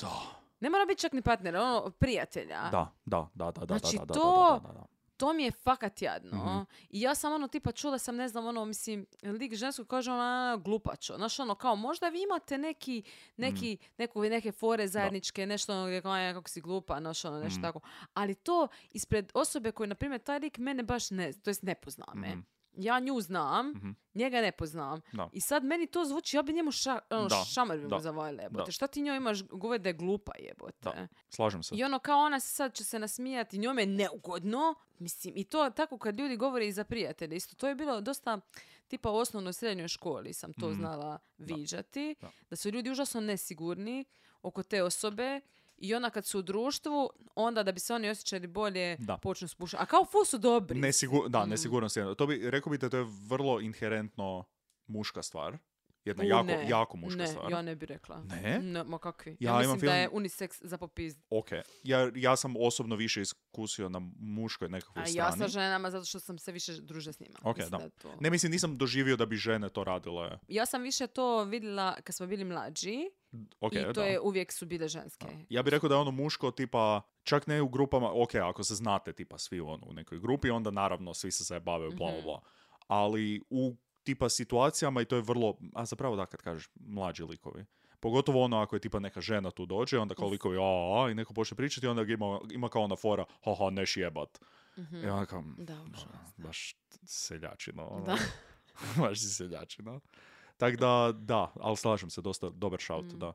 Da. ne mora biti čak ni partner, ono, prijatelja. Da, da, da, da, da, Znači, da, da, to- da, da, da. To mi je fakat jadno. Mhm. I ja sam ono tipa čula sam, ne znam, ono, mislim, lik žensko kaže ona glupačo. Znaš, ono, kao možda vi imate neki, neki, neku, neke fore zajedničke, nešto ono gdje kao, "Aj, kako si glupa, znaš, ono, nešto Mhm. tako. Ali to ispred osobe koje, na primjer, taj lik mene baš ne, to jest ne pozna me. Mhm. Ja nju znam, Mhm. njega ne poznam. Da. I sad meni to zvuči, ja bi njemu ša, ono, Da, šamar bi mu da, zavalila, jebote. da. Šta ti njoj imaš govori da je glupa, jebote? Da. Slažem se. I ono kao ona se sad će se nasmijati, njome je neugodno. Mislim, i to tako kad ljudi govore i za prijatelje. Isto to je bilo dosta, tipa u osnovnoj i srednjoj školi sam to Mhm. znala viđati. Da. Da su ljudi užasno nesigurni oko te osobe. I onda kad su u društvu, onda da bi se oni osjećali bolje, Da. počnu spušati. A kao ful su dobri. Nesigur, da, Mm. nesigurnost je. To bi, rekao bi da to je vrlo inherentno muška stvar. Jedna U, jako, ne, jako muška ne, stvar. ja ne bi rekla. Ne? Ne, ma kakvi. Ja Ja, imam mislim da film- je unisex za popizd. Ok. Ja, ja sam osobno više iskusio na muškoj nekakvoj A strani. ja sa ženama zato što sam se više družila s njima. Ok, Mislim da. je to... Ne, mislim, nisam doživio da bi žene to radile. Ja sam više to vidjela kad smo bili mlađi Ok, i to da. je uvijek su bile ženske. Ja bih rekao da je ono muško tipa, čak ne u grupama, ok, ako se znate tipa svi ono, u nekoj grupi, onda naravno svi se zajebavaju, bla, bla, Mhm. bla. Ali u tipa situacijama, i to je vrlo, a zapravo da kad kažeš mlađi likovi, pogotovo ono ako je tipa neka žena tu dođe, onda kao likovi, a, a, i neko počne pričati, onda ga ima, ima kao ona fora, haha, neš jebat. Mhm. I onda kao, Da, "Da, užasno. baš seljačino. ono. Da. Baš si seljačino. Tako da, da, ali slažem se, dosta dobar shout, Mm. da.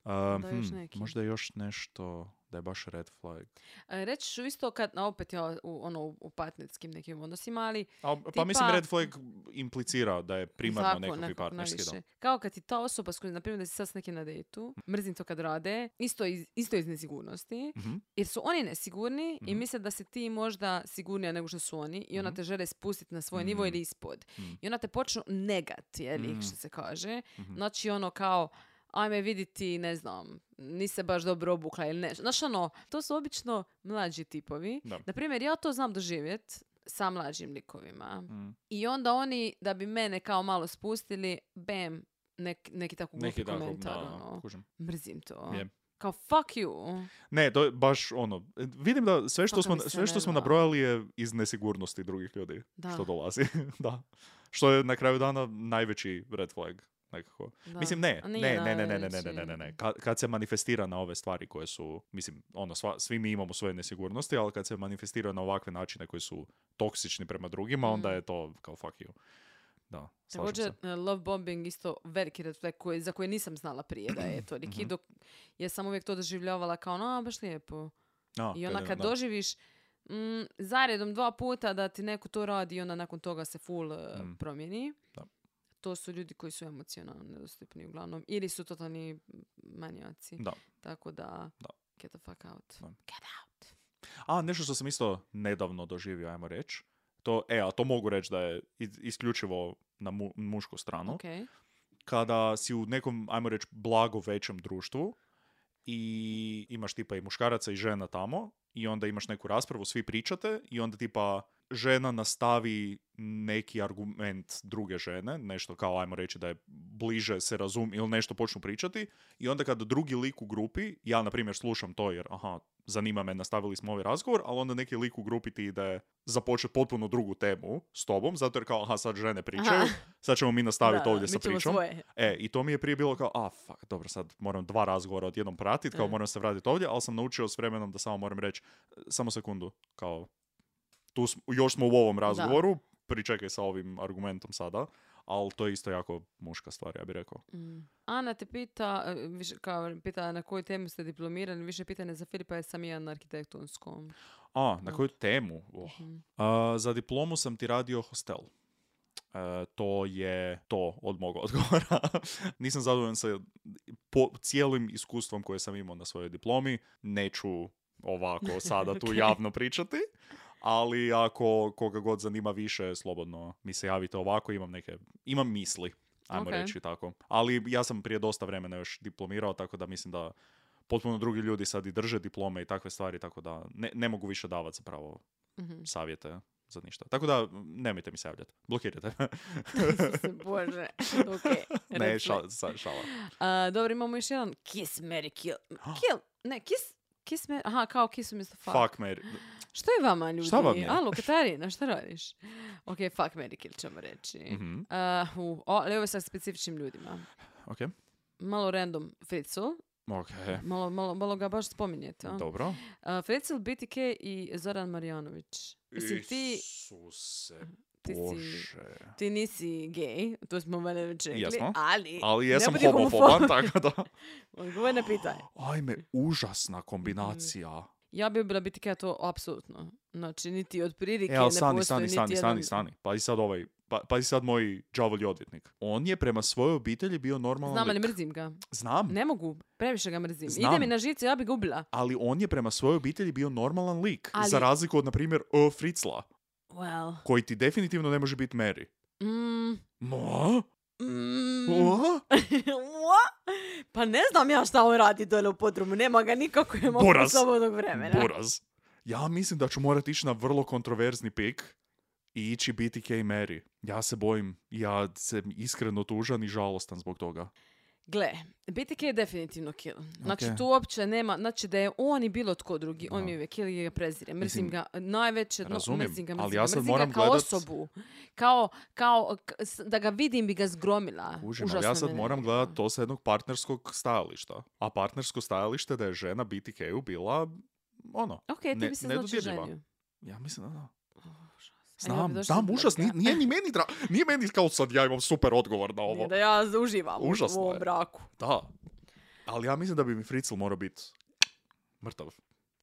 Uh, Da, još hmm, neki. možda je još nešto da je baš red flag. E, reći ću isto kad, a opet ja u, ono, u partnerskim nekim odnosima, ali A, pa tipa- mislim red flag implicira da je primarno Tako, nekakvi nekako partnerski. Da. najviše. Kao kad ti ta osoba s kojom, na primjer, da si sad s nekim na dejtu, mrzim to kad rade, isto iz, isto iz nesigurnosti, Mhm. jer su oni nesigurni i Mhm. misle da si ti možda sigurnija nego što su oni i onda Mhm. te žele spustiti na svoj nivo Mhm. ili ispod. Mhm. I onda te počnu negat, je li, Mhm. što se kaže. Mhm. Znači ono kao, ajme viditi, ne znam, nisi se baš dobro obukla ili nešto. Znaš ono, to su obično mlađi tipovi. Da. Naprimjer, ja to znam doživjet sa mlađim likovima. Mhm. I onda oni, da bi mene kao malo spustili, bam, nek, neki tako glupi Neki tako, komentar. da, ono. kužim. Mrzim to. Je. Kao fuck you. Ne, to je baš ono, vidim da sve što Kako smo, mi se sve što ne smo da. nabrojali je iz nesigurnosti drugih ljudi. Da. Što dolazi. Da. Što je na kraju dana najveći red flag. Nekako. Da. Mislim, ne, A ne, nije ne, ne, ne, ne, ne, najveći. ne, ne, ne, ne. Kad, kad se manifestira na ove stvari koje su, mislim, ono, sva, svi mi imamo svoje nesigurnosti, ali kad se manifestira na ovakve načine koji su toksični prema drugima, onda Mm. je to kao fuck you. Da, slažem Također, se. uh, love bombing isto veliki red flag koji, za koje nisam znala prije da je toliki, Mhm. dok ja sam uvijek to doživljavala kao, no, baš lijepo. A, I onda je- kad da. doživiš mm, zaredom dva puta da ti neko to radi i onda nakon toga se full uh, Mm. promijeni, Da. to su ljudi koji su emocionalno nedostupni uglavnom. Ili su totalni manijaci. Da. Tako da, Da. get the fuck out. Da. Get out. A, nešto što sam isto nedavno doživio, ajmo reći. To, e, a to mogu reći da je is- isključivo na mu- mušku stranu. Ok. Kada si u nekom, ajmo reći, blago većem društvu i imaš tipa i muškaraca i žena tamo i onda imaš neku raspravu, svi pričate i onda tipa žena nastavi neki argument druge žene, nešto kao ajmo reći da je bliže se razum ili nešto počnu pričati i onda kada drugi lik u grupi, ja na primjer slušam to jer aha, zanima me, nastavili smo ovaj razgovor, ali onda neki lik u grupi ti ide započeti potpuno drugu temu s tobom, zato jer kao aha, sad žene pričaju, Aha. sad ćemo mi nastaviti Da, ovdje mi sa ćemo pričom. svoje. E, i to mi je prije bilo kao, a, fuck, dobro, sad moram dva razgovora odjednom pratiti, kao E. moram se vratiti ovdje, ali sam naučio s vremenom da samo moram reći, samo sekundu, kao, tu smo, još smo u ovom razgovoru, pričekaj sa ovim argumentom sada, ali to je isto jako muška stvar, ja bih rekao. Mm. Ana te pita, e, više, kao, pita na koju temu ste diplomirani, više pitanje za Filipa, jer sam i ja na arhitektonskom. A, na koju temu? Oh. Mhm. A, za diplomu sam ti radio hostel. E, to je to od mog odgovora. Nisam zadovoljan sa po cijelim iskustvom koje sam imao na svojoj diplomi. Neću ovako sada tu Ok. javno pričati. Ali ako koga god zanima više, slobodno mi se javite ovako. Imam neke, imam misli, ajmo Ok. reći tako. Ali ja sam prije dosta vremena još diplomirao, tako da mislim da potpuno drugi ljudi sad i drže diplome i takve stvari, tako da ne, ne mogu više davati zapravo Mhm. savjete za ništa. Tako da, nemojte mi se javljati. Blokirajte. Isuse Bože. Ok. ne, red šala, flag. sa- šala. A, dobro, imamo još jedan Kiss, Mary, Kill. Kill, ne, Kiss, Kiss, Mary, aha, kao Kiss umjesto fuck. Fuck, Mary. Što je vama, ljudi? Šta vam je? Alo, Katarina, šta radiš? Ok, fuck, Mary, Kill ćemo reći. Mhm. Uh, uh, o, ali ovo je sa specifičnim ljudima. Ok. Malo random Fritzl. Ok. Malo, malo, malo ga baš spominjete. a? Dobro. Uh, Fritzl, B T K i Zoran Marjanović. Mislim, ti, Isuse, ti si- Bože. ti nisi gej, to smo valjda već rekli, Jesmo. ali... Ali ne jesam budi homofoban, tako da... Odgovor na pitanje. Ajme, užasna kombinacija. Ja bi bila B T K to apsolutno. Znači, niti od prilike E, ali ne stani, postoji stani, niti stani, jedan... stani, stani. Pa i sad ovaj, pa, pa i sad moj đavolji odvjetnik. On je prema svojoj obitelji bio normalan Znam, ali lik. mrzim ga. Znam, Ne mogu, previše ga mrzim. Znam. Ide mi na žice, ja bi ga ubila. ali on je prema svojoj obitelji bio normalan lik. Ali- Za razliku od, na primjer, o, Fritzla, Well... koji ti definitivno ne može biti Mary. Mm, Mo? mm, O? What? Pa ne znam ja šta on radi dole u podrumu. Nema ga nikako je mogu Buraz. slobodnog vremena. Buraz. Ja mislim da ću morati ići na vrlo kontroverzni pik i ići B T K Mary. Ja se bojim. Ja sam iskreno tužan i žalostan zbog toga. Gle, B T K je definitivno kill. Znači, Ok. tu uopće nema, znači da je on i bilo tko drugi, on Da. mi je uvijek kill i ga prezire. Mrzim Mislim, ga najveće, no, razumijem, mrzim ga, ali mrzim ja ga, sad mrzim moram ga kao gledat- osobu. Kao, kao, k- s- da ga vidim bi ga zgromila. Kužim, ali Užasno ja sad me moram nervira. gledati to sa jednog partnerskog stajališta. A partnersko stajalište da je žena B T K-u bila, ono, Ok, ti ne- bi se znači nedodirljiva. ženio. Ja mislim da da. A ja bi Znam, došla znam, do užas, nije, toga. nije ni meni dra... Nije meni kao sad ja imam super odgovor na ovo. Nije da ja uživam u- Užasno u ovom je. braku. Da. Ali ja mislim da bi mi Fritzl morao biti mrtav.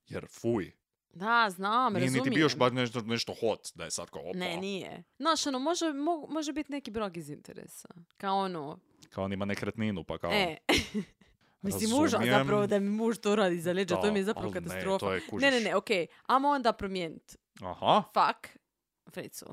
Jer fuj. Da, znam, Nije razumijem. niti bio još baš nešto, nešto hot, da je sad kao opa. Ne, nije. Znaš, ono, može, mo, može biti neki brog iz interesa. Kao ono... Kao on ima nekretninu, pa kao... E... Mislim, muža Razumijem. zapravo da mi muž to radi za leđa, Da, to mi je zapravo ali ne, katastrofa. to je, kužiš. Ne, ne, ne, okej. Amo onda promijeniti. Aha. Fuck Fritzl.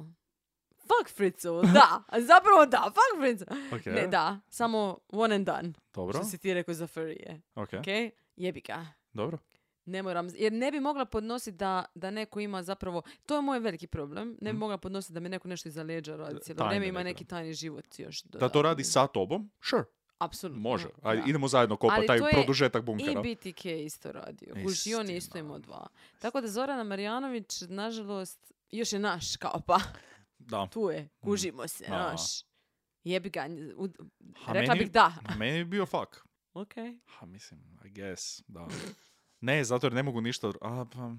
Fuck Fritzl, da. Zapravo da, fuck Fritzl. Ok. Ne, da. Samo one and done. Dobro. Što si ti rekao za furije. Ok. Okej? Jebi ga. Dobro. Ne moram, jer ne bi mogla podnositi da, da neko ima zapravo, to je moj veliki problem, ne bi Mm. mogla podnositi da mi neko nešto iza leđa radi cijelo Tajne vrijeme, ima neke. neki tajni život još. Da to radi sa tobom? Sure. Apsolutno. Može. Da. Ajde, idemo zajedno kopa Ali taj to je produžetak I bunkera. B T K isto radio. Kuž, i on je isto Istina. imao dva. Tako da Zorana Marjanović, nažalost, još je naš, kao pa. Da. Tu je, kužimo se, A. naš. Jebi ga, u- Ha, rekla meni- bih da. Meni bi bio fuck. Ok. Ha, mislim, I guess, da. Ne, zato jer ne mogu ništa... A, pa...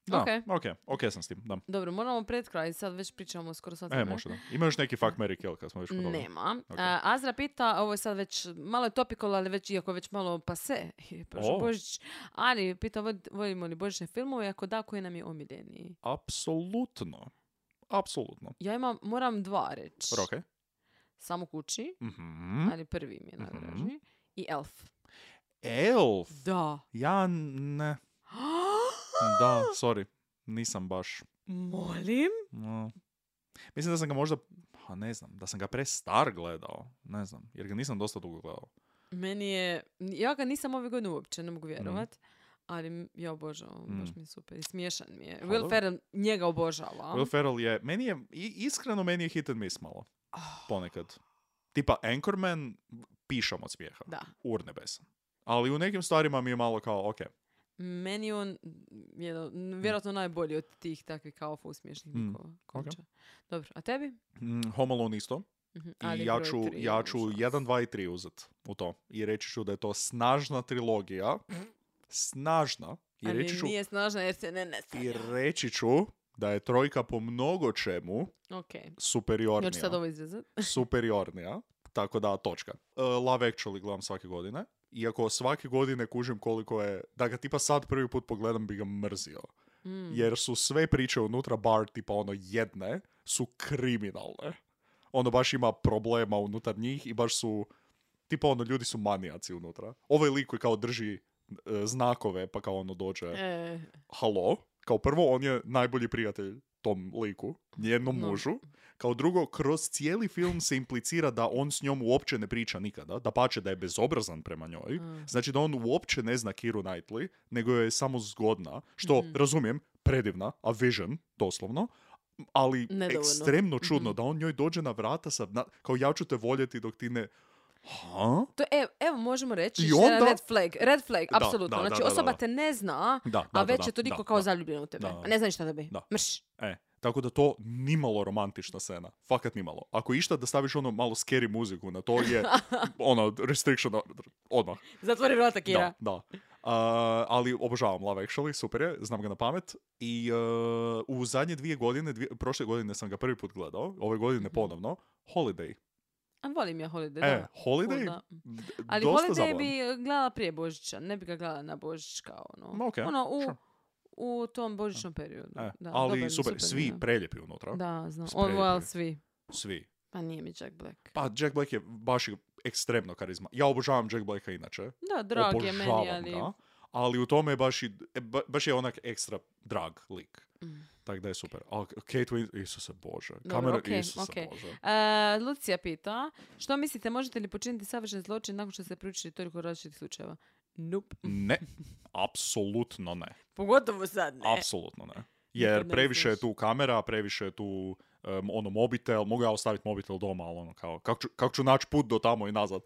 Da, Ok. ok, ok sam s tim, da. Dobro, moramo pred kraj, sad već pričamo skoro sat E, vremena. može da. Ima još neki fuck, marry, kill kad smo već kod toga? Nema. Ok. A, Azra pita, ovo je sad već, malo je topical, ali već, iako već malo pase, je prošao O. Božić, ali pita, vod- volimo li božićne filmove, ako da, koji nam je omiljeniji? Apsolutno. Apsolutno. Ja imam, moram dva reći. Ok. Samo kući, Mhm. ali prvi mi je Mhm. najdraži. I Elf. Elf. Da. Ja ne. Da, sorry. Nisam baš. Molim? No. Mislim da sam ga možda, pa ne znam, da sam ga pre star gledao. Ne znam, jer ga nisam dosta dugo gledao. Meni je, ja ga nisam ove godine uopće, ne mogu vjerovat. Ali m- ja obožavam, Mm. baš mi je super. I smiješan mi je. Pa Will dobro. Ferrell njega obožava. Will Ferrell je, meni je, i- iskreno meni je hit and miss malo. Ponekad. Tipa Anchorman, pišam od smijeha. Da. Urnebesan. Ali u nekim stvarima mi je malo kao, ok. Meni je on jedan, vjerojatno najbolji od tih takvih kao uspješnih Mm, likova. konča. Dobro, a tebi? Mm, Home Alone isto. Mhm, I ali ja broj ću, tri, ja ću užas. jedan, dva i tri uzet u to. I reći ću da je to snažna trilogija. Snažna. I Ali reći ću, nije snažna jer se ne ne i reći ću da je trojka po mnogo čemu Ok. superiornija. Ja ću sad ovo izrezat. superiornija. Tako da, točka. Uh, Love Actually gledam svake godine. Iako svake godine kužim koliko je... Da ga tipa sad prvi put pogledam bi ga mrzio. Mm. Jer su sve priče unutra, bar tipa ono jedne, su kriminalne. Ono baš ima problema unutar njih i baš su... Tipa ono, ljudi su manijaci unutra. Ovaj lik koji kao drži e, znakove, pa kao ono dođe... E, Halo? Kao prvo, on je najbolji prijatelj tom liku, njenom No. mužu. Kao drugo, kroz cijeli film se implicira da on s njom uopće ne priča nikada, da pače da je bezobrazan prema njoj. Mm. Znači da on uopće ne zna Kiru Knightley, nego je samo zgodna, što, Mhm. razumijem, predivna, a vision, doslovno, ali Nedovoljno. ekstremno čudno Mhm. da on njoj dođe na vrata sa, na, kao ja ću te voljeti dok ti ne... Ha? to, evo, evo, možemo reći, I što je onda- red flag, red flag, Da, apsolutno. da, da, Znači, da, da, osoba da. te ne zna, Da, da, a da, već da, je toliko da, kao da. zaljubljena u tebe. Da. A ne znaš šta da bi. Da. Mrš. E, tako da to nimalo romantična scena. Fakat nimalo. Ako išta da staviš ono malo scary muziku na to je ono restriction odmah. Zatvori vrata, Kira. Da, da. Uh, ali obožavam Love Actually, super je, znam ga na pamet. I uh, u zadnje dvije godine, dvije, prošle godine sam ga prvi put gledao, ove godine Mhm. ponovno, Holiday. A volim ja Holiday, E, da. Holiday, Cool, da. d- Ali dosta Holiday zabavan. bi gledala prije Božića, ne bi ga gledala na Božić kao ono. Ma, okej, ono, u, sure. u tom božićnom periodu. E, Da, ali dobar, super, super svi mi je. preljepi unutra. Da, znam. Spremni. On, well, svi. Svi. Pa nije mi Jack Black. Pa Jack Black je baš ekstremno karizma. Ja obožavam Jack Blacka inače. Da, drag je meni, Obožavam ali... ga, ali u tome je baš, i, e, ba- baš je onak ekstra drag lik. Mm. Tako da je super. Ali Kate Winslet, Isuse Bože. Dobro, Kamera, okej, Isuse okej. Bože. E, Lucija pita, što mislite, možete li počiniti savršen zločin nakon što ste proučili toliko različitih slučajeva? Nope. Ne, apsolutno ne. Pogotovo sad ne. Apsolutno ne. Jer Nikad ne previše je znaš. tu kamera, previše je tu um, ono mobitel, mogu ja ostaviti mobitel doma, ali ono kao, kako ću, kako ću naći put do tamo i nazad.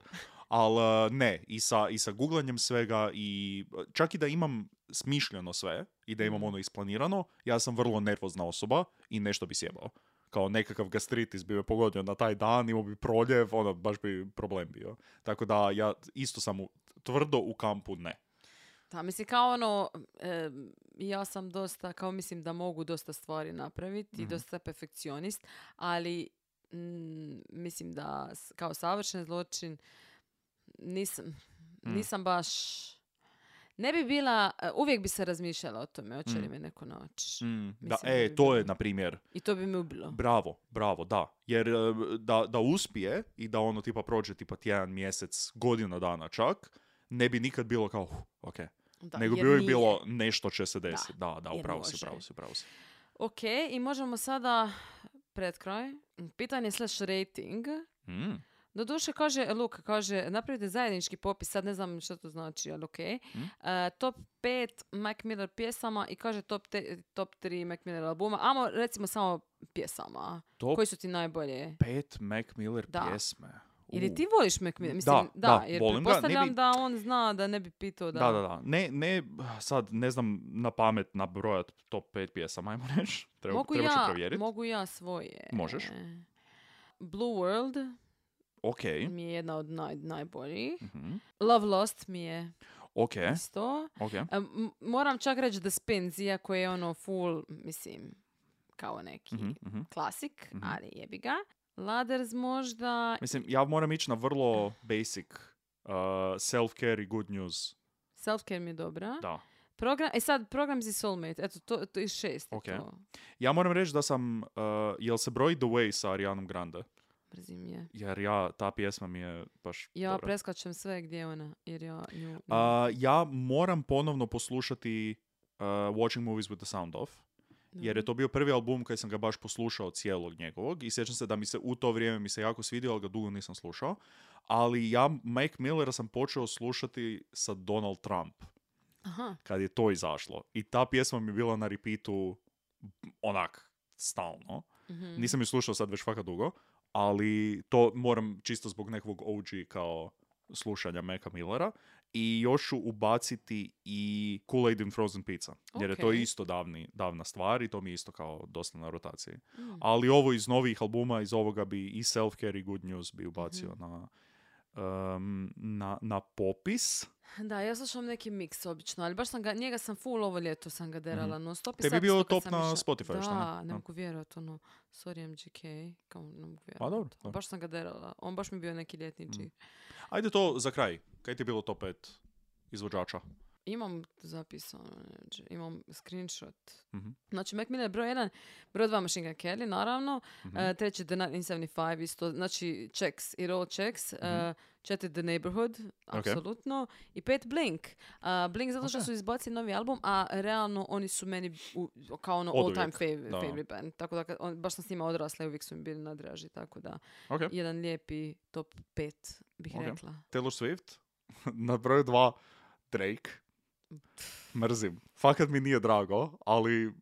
Ali ne, i sa, i sa googlanjem svega i čak i da imam smišljeno sve i da imam Mhm. ono isplanirano, ja sam vrlo nervozna osoba i nešto bi sjebao. Kao nekakav gastritis bi me pogodio na taj dan, imao bi proljev, ono, baš bi problem bio. Tako da ja isto sam u, tvrdo u kampu ne. Da, mislim, kao ono, e, ja sam dosta, kao mislim da mogu dosta stvari napraviti i Mhm. dosta perfekcionist, ali mm, mislim da s- kao savršen zločin nisam, nisam baš... Ne bi bila, uvijek bi se razmišljala o tome, hoće li Mm. me neko naći. Mm, da, Mislim da e, bi to bilo. je, na primjer, I to bi me ubilo. bravo, bravo, da. Jer e, da, da uspije i da ono tipa prođe tipa tjedan, mjesec, godina dana čak, ne bi nikad bilo kao, uh, ok. Da, Nego bi jer uvijek nije. bilo nešto će se desiti. Da, da, da jer upravo si, može. upravo si, upravo si. Ok, i možemo sada pred kraj. Pitanje slash rating. Mm. Doduše, kaže, Luka, kaže, napravite zajednički popis, sad ne znam što to znači, ali ok. Mm. Uh, top pet Mac Miller pjesama i kaže top, te, top tri Mac Miller albuma. Amo, recimo samo pjesama. Top Koji su ti najbolje? pet Mac Miller Da. pjesme. Ili U. ti voliš Mac Miller? Mislim, Da, da, da, jer volim ga. Ne pretpostavljam bi- da on zna da ne bi pitao da... Da, da, da. Ne, ne, sad ne znam na pamet nabrojat top pet pjesama, ajmo reći. Treba, Mogu treba ću ja, provjeriti. mogu ja svoje. Možeš. Blue World Ok. mi je jedna od naj, najboljih. Mhm. Love Lost mi je Ok, isto. ok. E, m- moram čak reći The Spins, iako je ono full, mislim, kao neki Mhm, mhm. klasik, Mhm. ali jebi ga. Ladders možda... Mislim, ja moram ići na vrlo basic uh, self-care i good news. Self-care mi je dobra. Da. Program, e sad, program za Soulmate, eto, to, to je šest. je Ok. To. Ja moram reći da sam, uh, jel se broji The Way sa Arianom Grande? Mrzim je. Jer ja, ta pjesma mi je baš Ja dobra. preskačem sve gdje je ona, jer ja nju... Uh, ja moram ponovno poslušati uh, Watching Movies with the Sound Off. Jer je to bio prvi album koji sam ga baš poslušao cijelog njegovog i sjećam se da mi se u to vrijeme mi se jako svidio, ali ga dugo nisam slušao. Ali ja Mac Millera sam počeo slušati sa Donald Trump Aha. kad je to izašlo. I ta pjesma mi je bila na repeatu onak stalno. Mhm. Nisam ju slušao sad već fakat dugo, ali to moram čisto zbog nekog O G kao slušanja Maca Millera. I još ću ubaciti i Kool-Aid in Frozen Pizza. Jer je to Ok. isto davni, davna stvar i to mi je isto kao dosta na rotaciji. Mm. Ali ovo iz novih albuma, iz ovoga bi i Self-Care i Good News bi ubacio Mhm. na, um, na, na popis. Da, ja slušam neki miks obično, ali baš sam ga, njega sam full ovo ljeto sam ga derala non stop. i Tebi je sad bio isto kad top sam na išla- Spotify, šta ne? Da, ne Da. mogu vjerovati, ono, sorry M G K, kao ne mogu vjerovati. A, dobro, dobro. Baš sam ga derala, on baš mi bio neki ljetnički. Mm. Ajde to za kraj. Kaj ti je bilo top pet izvođača? Imam zapisano, neđe, imam screenshot. Mhm. Znači, Mac Miller broj jedan, broj dva Machine Gun Kelly, naravno. Mhm. Uh, treći The nineteen seventy-five, isto, znači checks, it all checks. Uh, četiri The Neighborhood, apsolutno. I pet Blink. Uh, Blink zato što Ok. su izbacili novi album, a realno oni su meni u, kao ono Oduvijek, all time fav- da. favorite band. Tako da, kad- on, baš sam s njima odrasla i uvijek su mi bili nadraži, tako da Ok. jedan lijepi top pet, bih Ok. rekla. Taylor Swift. Na broju dva Drake. Mrzim. Fakat mi nije drago, ali...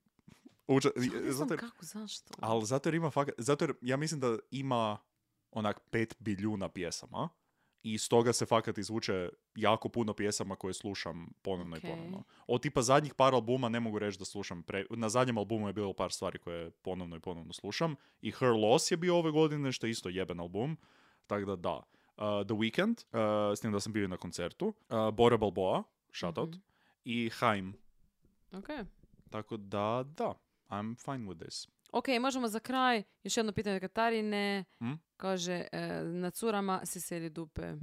Uđa, Ja ne znam zato, jer, kako, zašto? ali zato jer ima fakat... Zato jer ja mislim da ima onak pet biljuna pjesama i stoga se fakat izvuče jako puno pjesama koje slušam ponovno Ok. i ponovno. Od tipa zadnjih par albuma ne mogu reći da slušam... Pre... Na zadnjem albumu je bilo par stvari koje ponovno i ponovno slušam. I Her Loss je bio ove godine, što je isto jeben album. Tako da da. Uh, The Weeknd, uh, s tim da sam bio i na koncertu. Uh, Bora Balboa, shoutout. Mhm. I Haim. Ok. Tako da, da. I'm fine with this. Ok, možemo za kraj. Još jedno pitanje od Katarine. Hm? Kaže, e, na curama si seli dupe.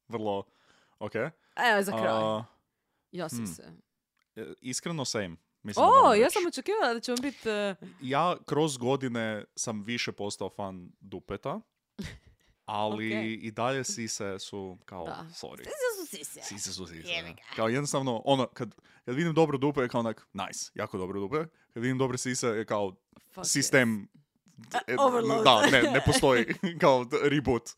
Vrlo, ok. Evo za kraj. Uh, ja si hm. se. e, iskreno same. Mislim da O, moram ja reći. sam očekivala da ćemo biti... e, Ja kroz godine sam više postao fan dupeta, ali Ok. i dalje sise su kao, Da. sorry. Sise su sise. Sise su sise. Kao jednostavno, ono, kad, kad vidim dobro dupe je kao onak, nice, jako dobro dupe. Kad vidim dobre sise je kao Fuck sistem, e, overload. da, ne, ne postoji kao d- reboot.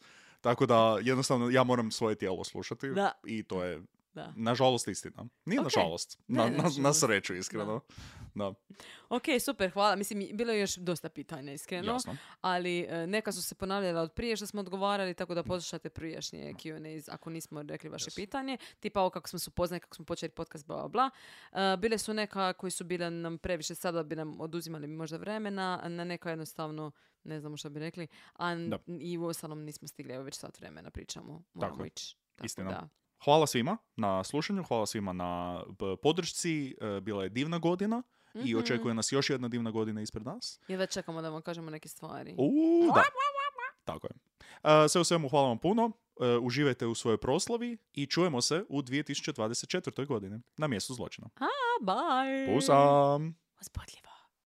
Tako da jednostavno ja moram svoje tijelo slušati Da. i to je Da. nažalost istina. Nije Ok. nažalost, Ne, na, ne, na, na nažalost. sreću iskreno. Da, Ok, super, hvala. Mislim, bilo je još dosta pitanja, iskreno. jasno. Ali e, neka su se ponavljala od prije što smo odgovarali, tako da poslušate prijašnje Q and A's ako nismo rekli vaše Yes. pitanje. Tipa ovo kako smo se upoznali, kako smo počeli podcast, bla, bla, bla. E, bile su neka koji su bile nam previše, sada bi nam oduzimali možda vremena, na neka jednostavno ne znamo što bi rekli, a n- Da. i u ostalom nismo stigli, evo već sat vremena pričamo, moramo Tako je. ići. Tako Istina. da. Hvala svima na slušanju, hvala svima na b- podršci. E, Bila je divna godina i Mhm. očekuje nas još jedna divna godina ispred nas. Jedva čekamo da vam kažemo neke stvari. Uuu, da. Tako je. E, sve u svemu, hvala vam puno. e, uživajte u svojoj proslavi i čujemo se u dvije tisuće dvadeset četvrtoj godini na mjestu zločina. A, bye! Pusam! Uzbudljivo.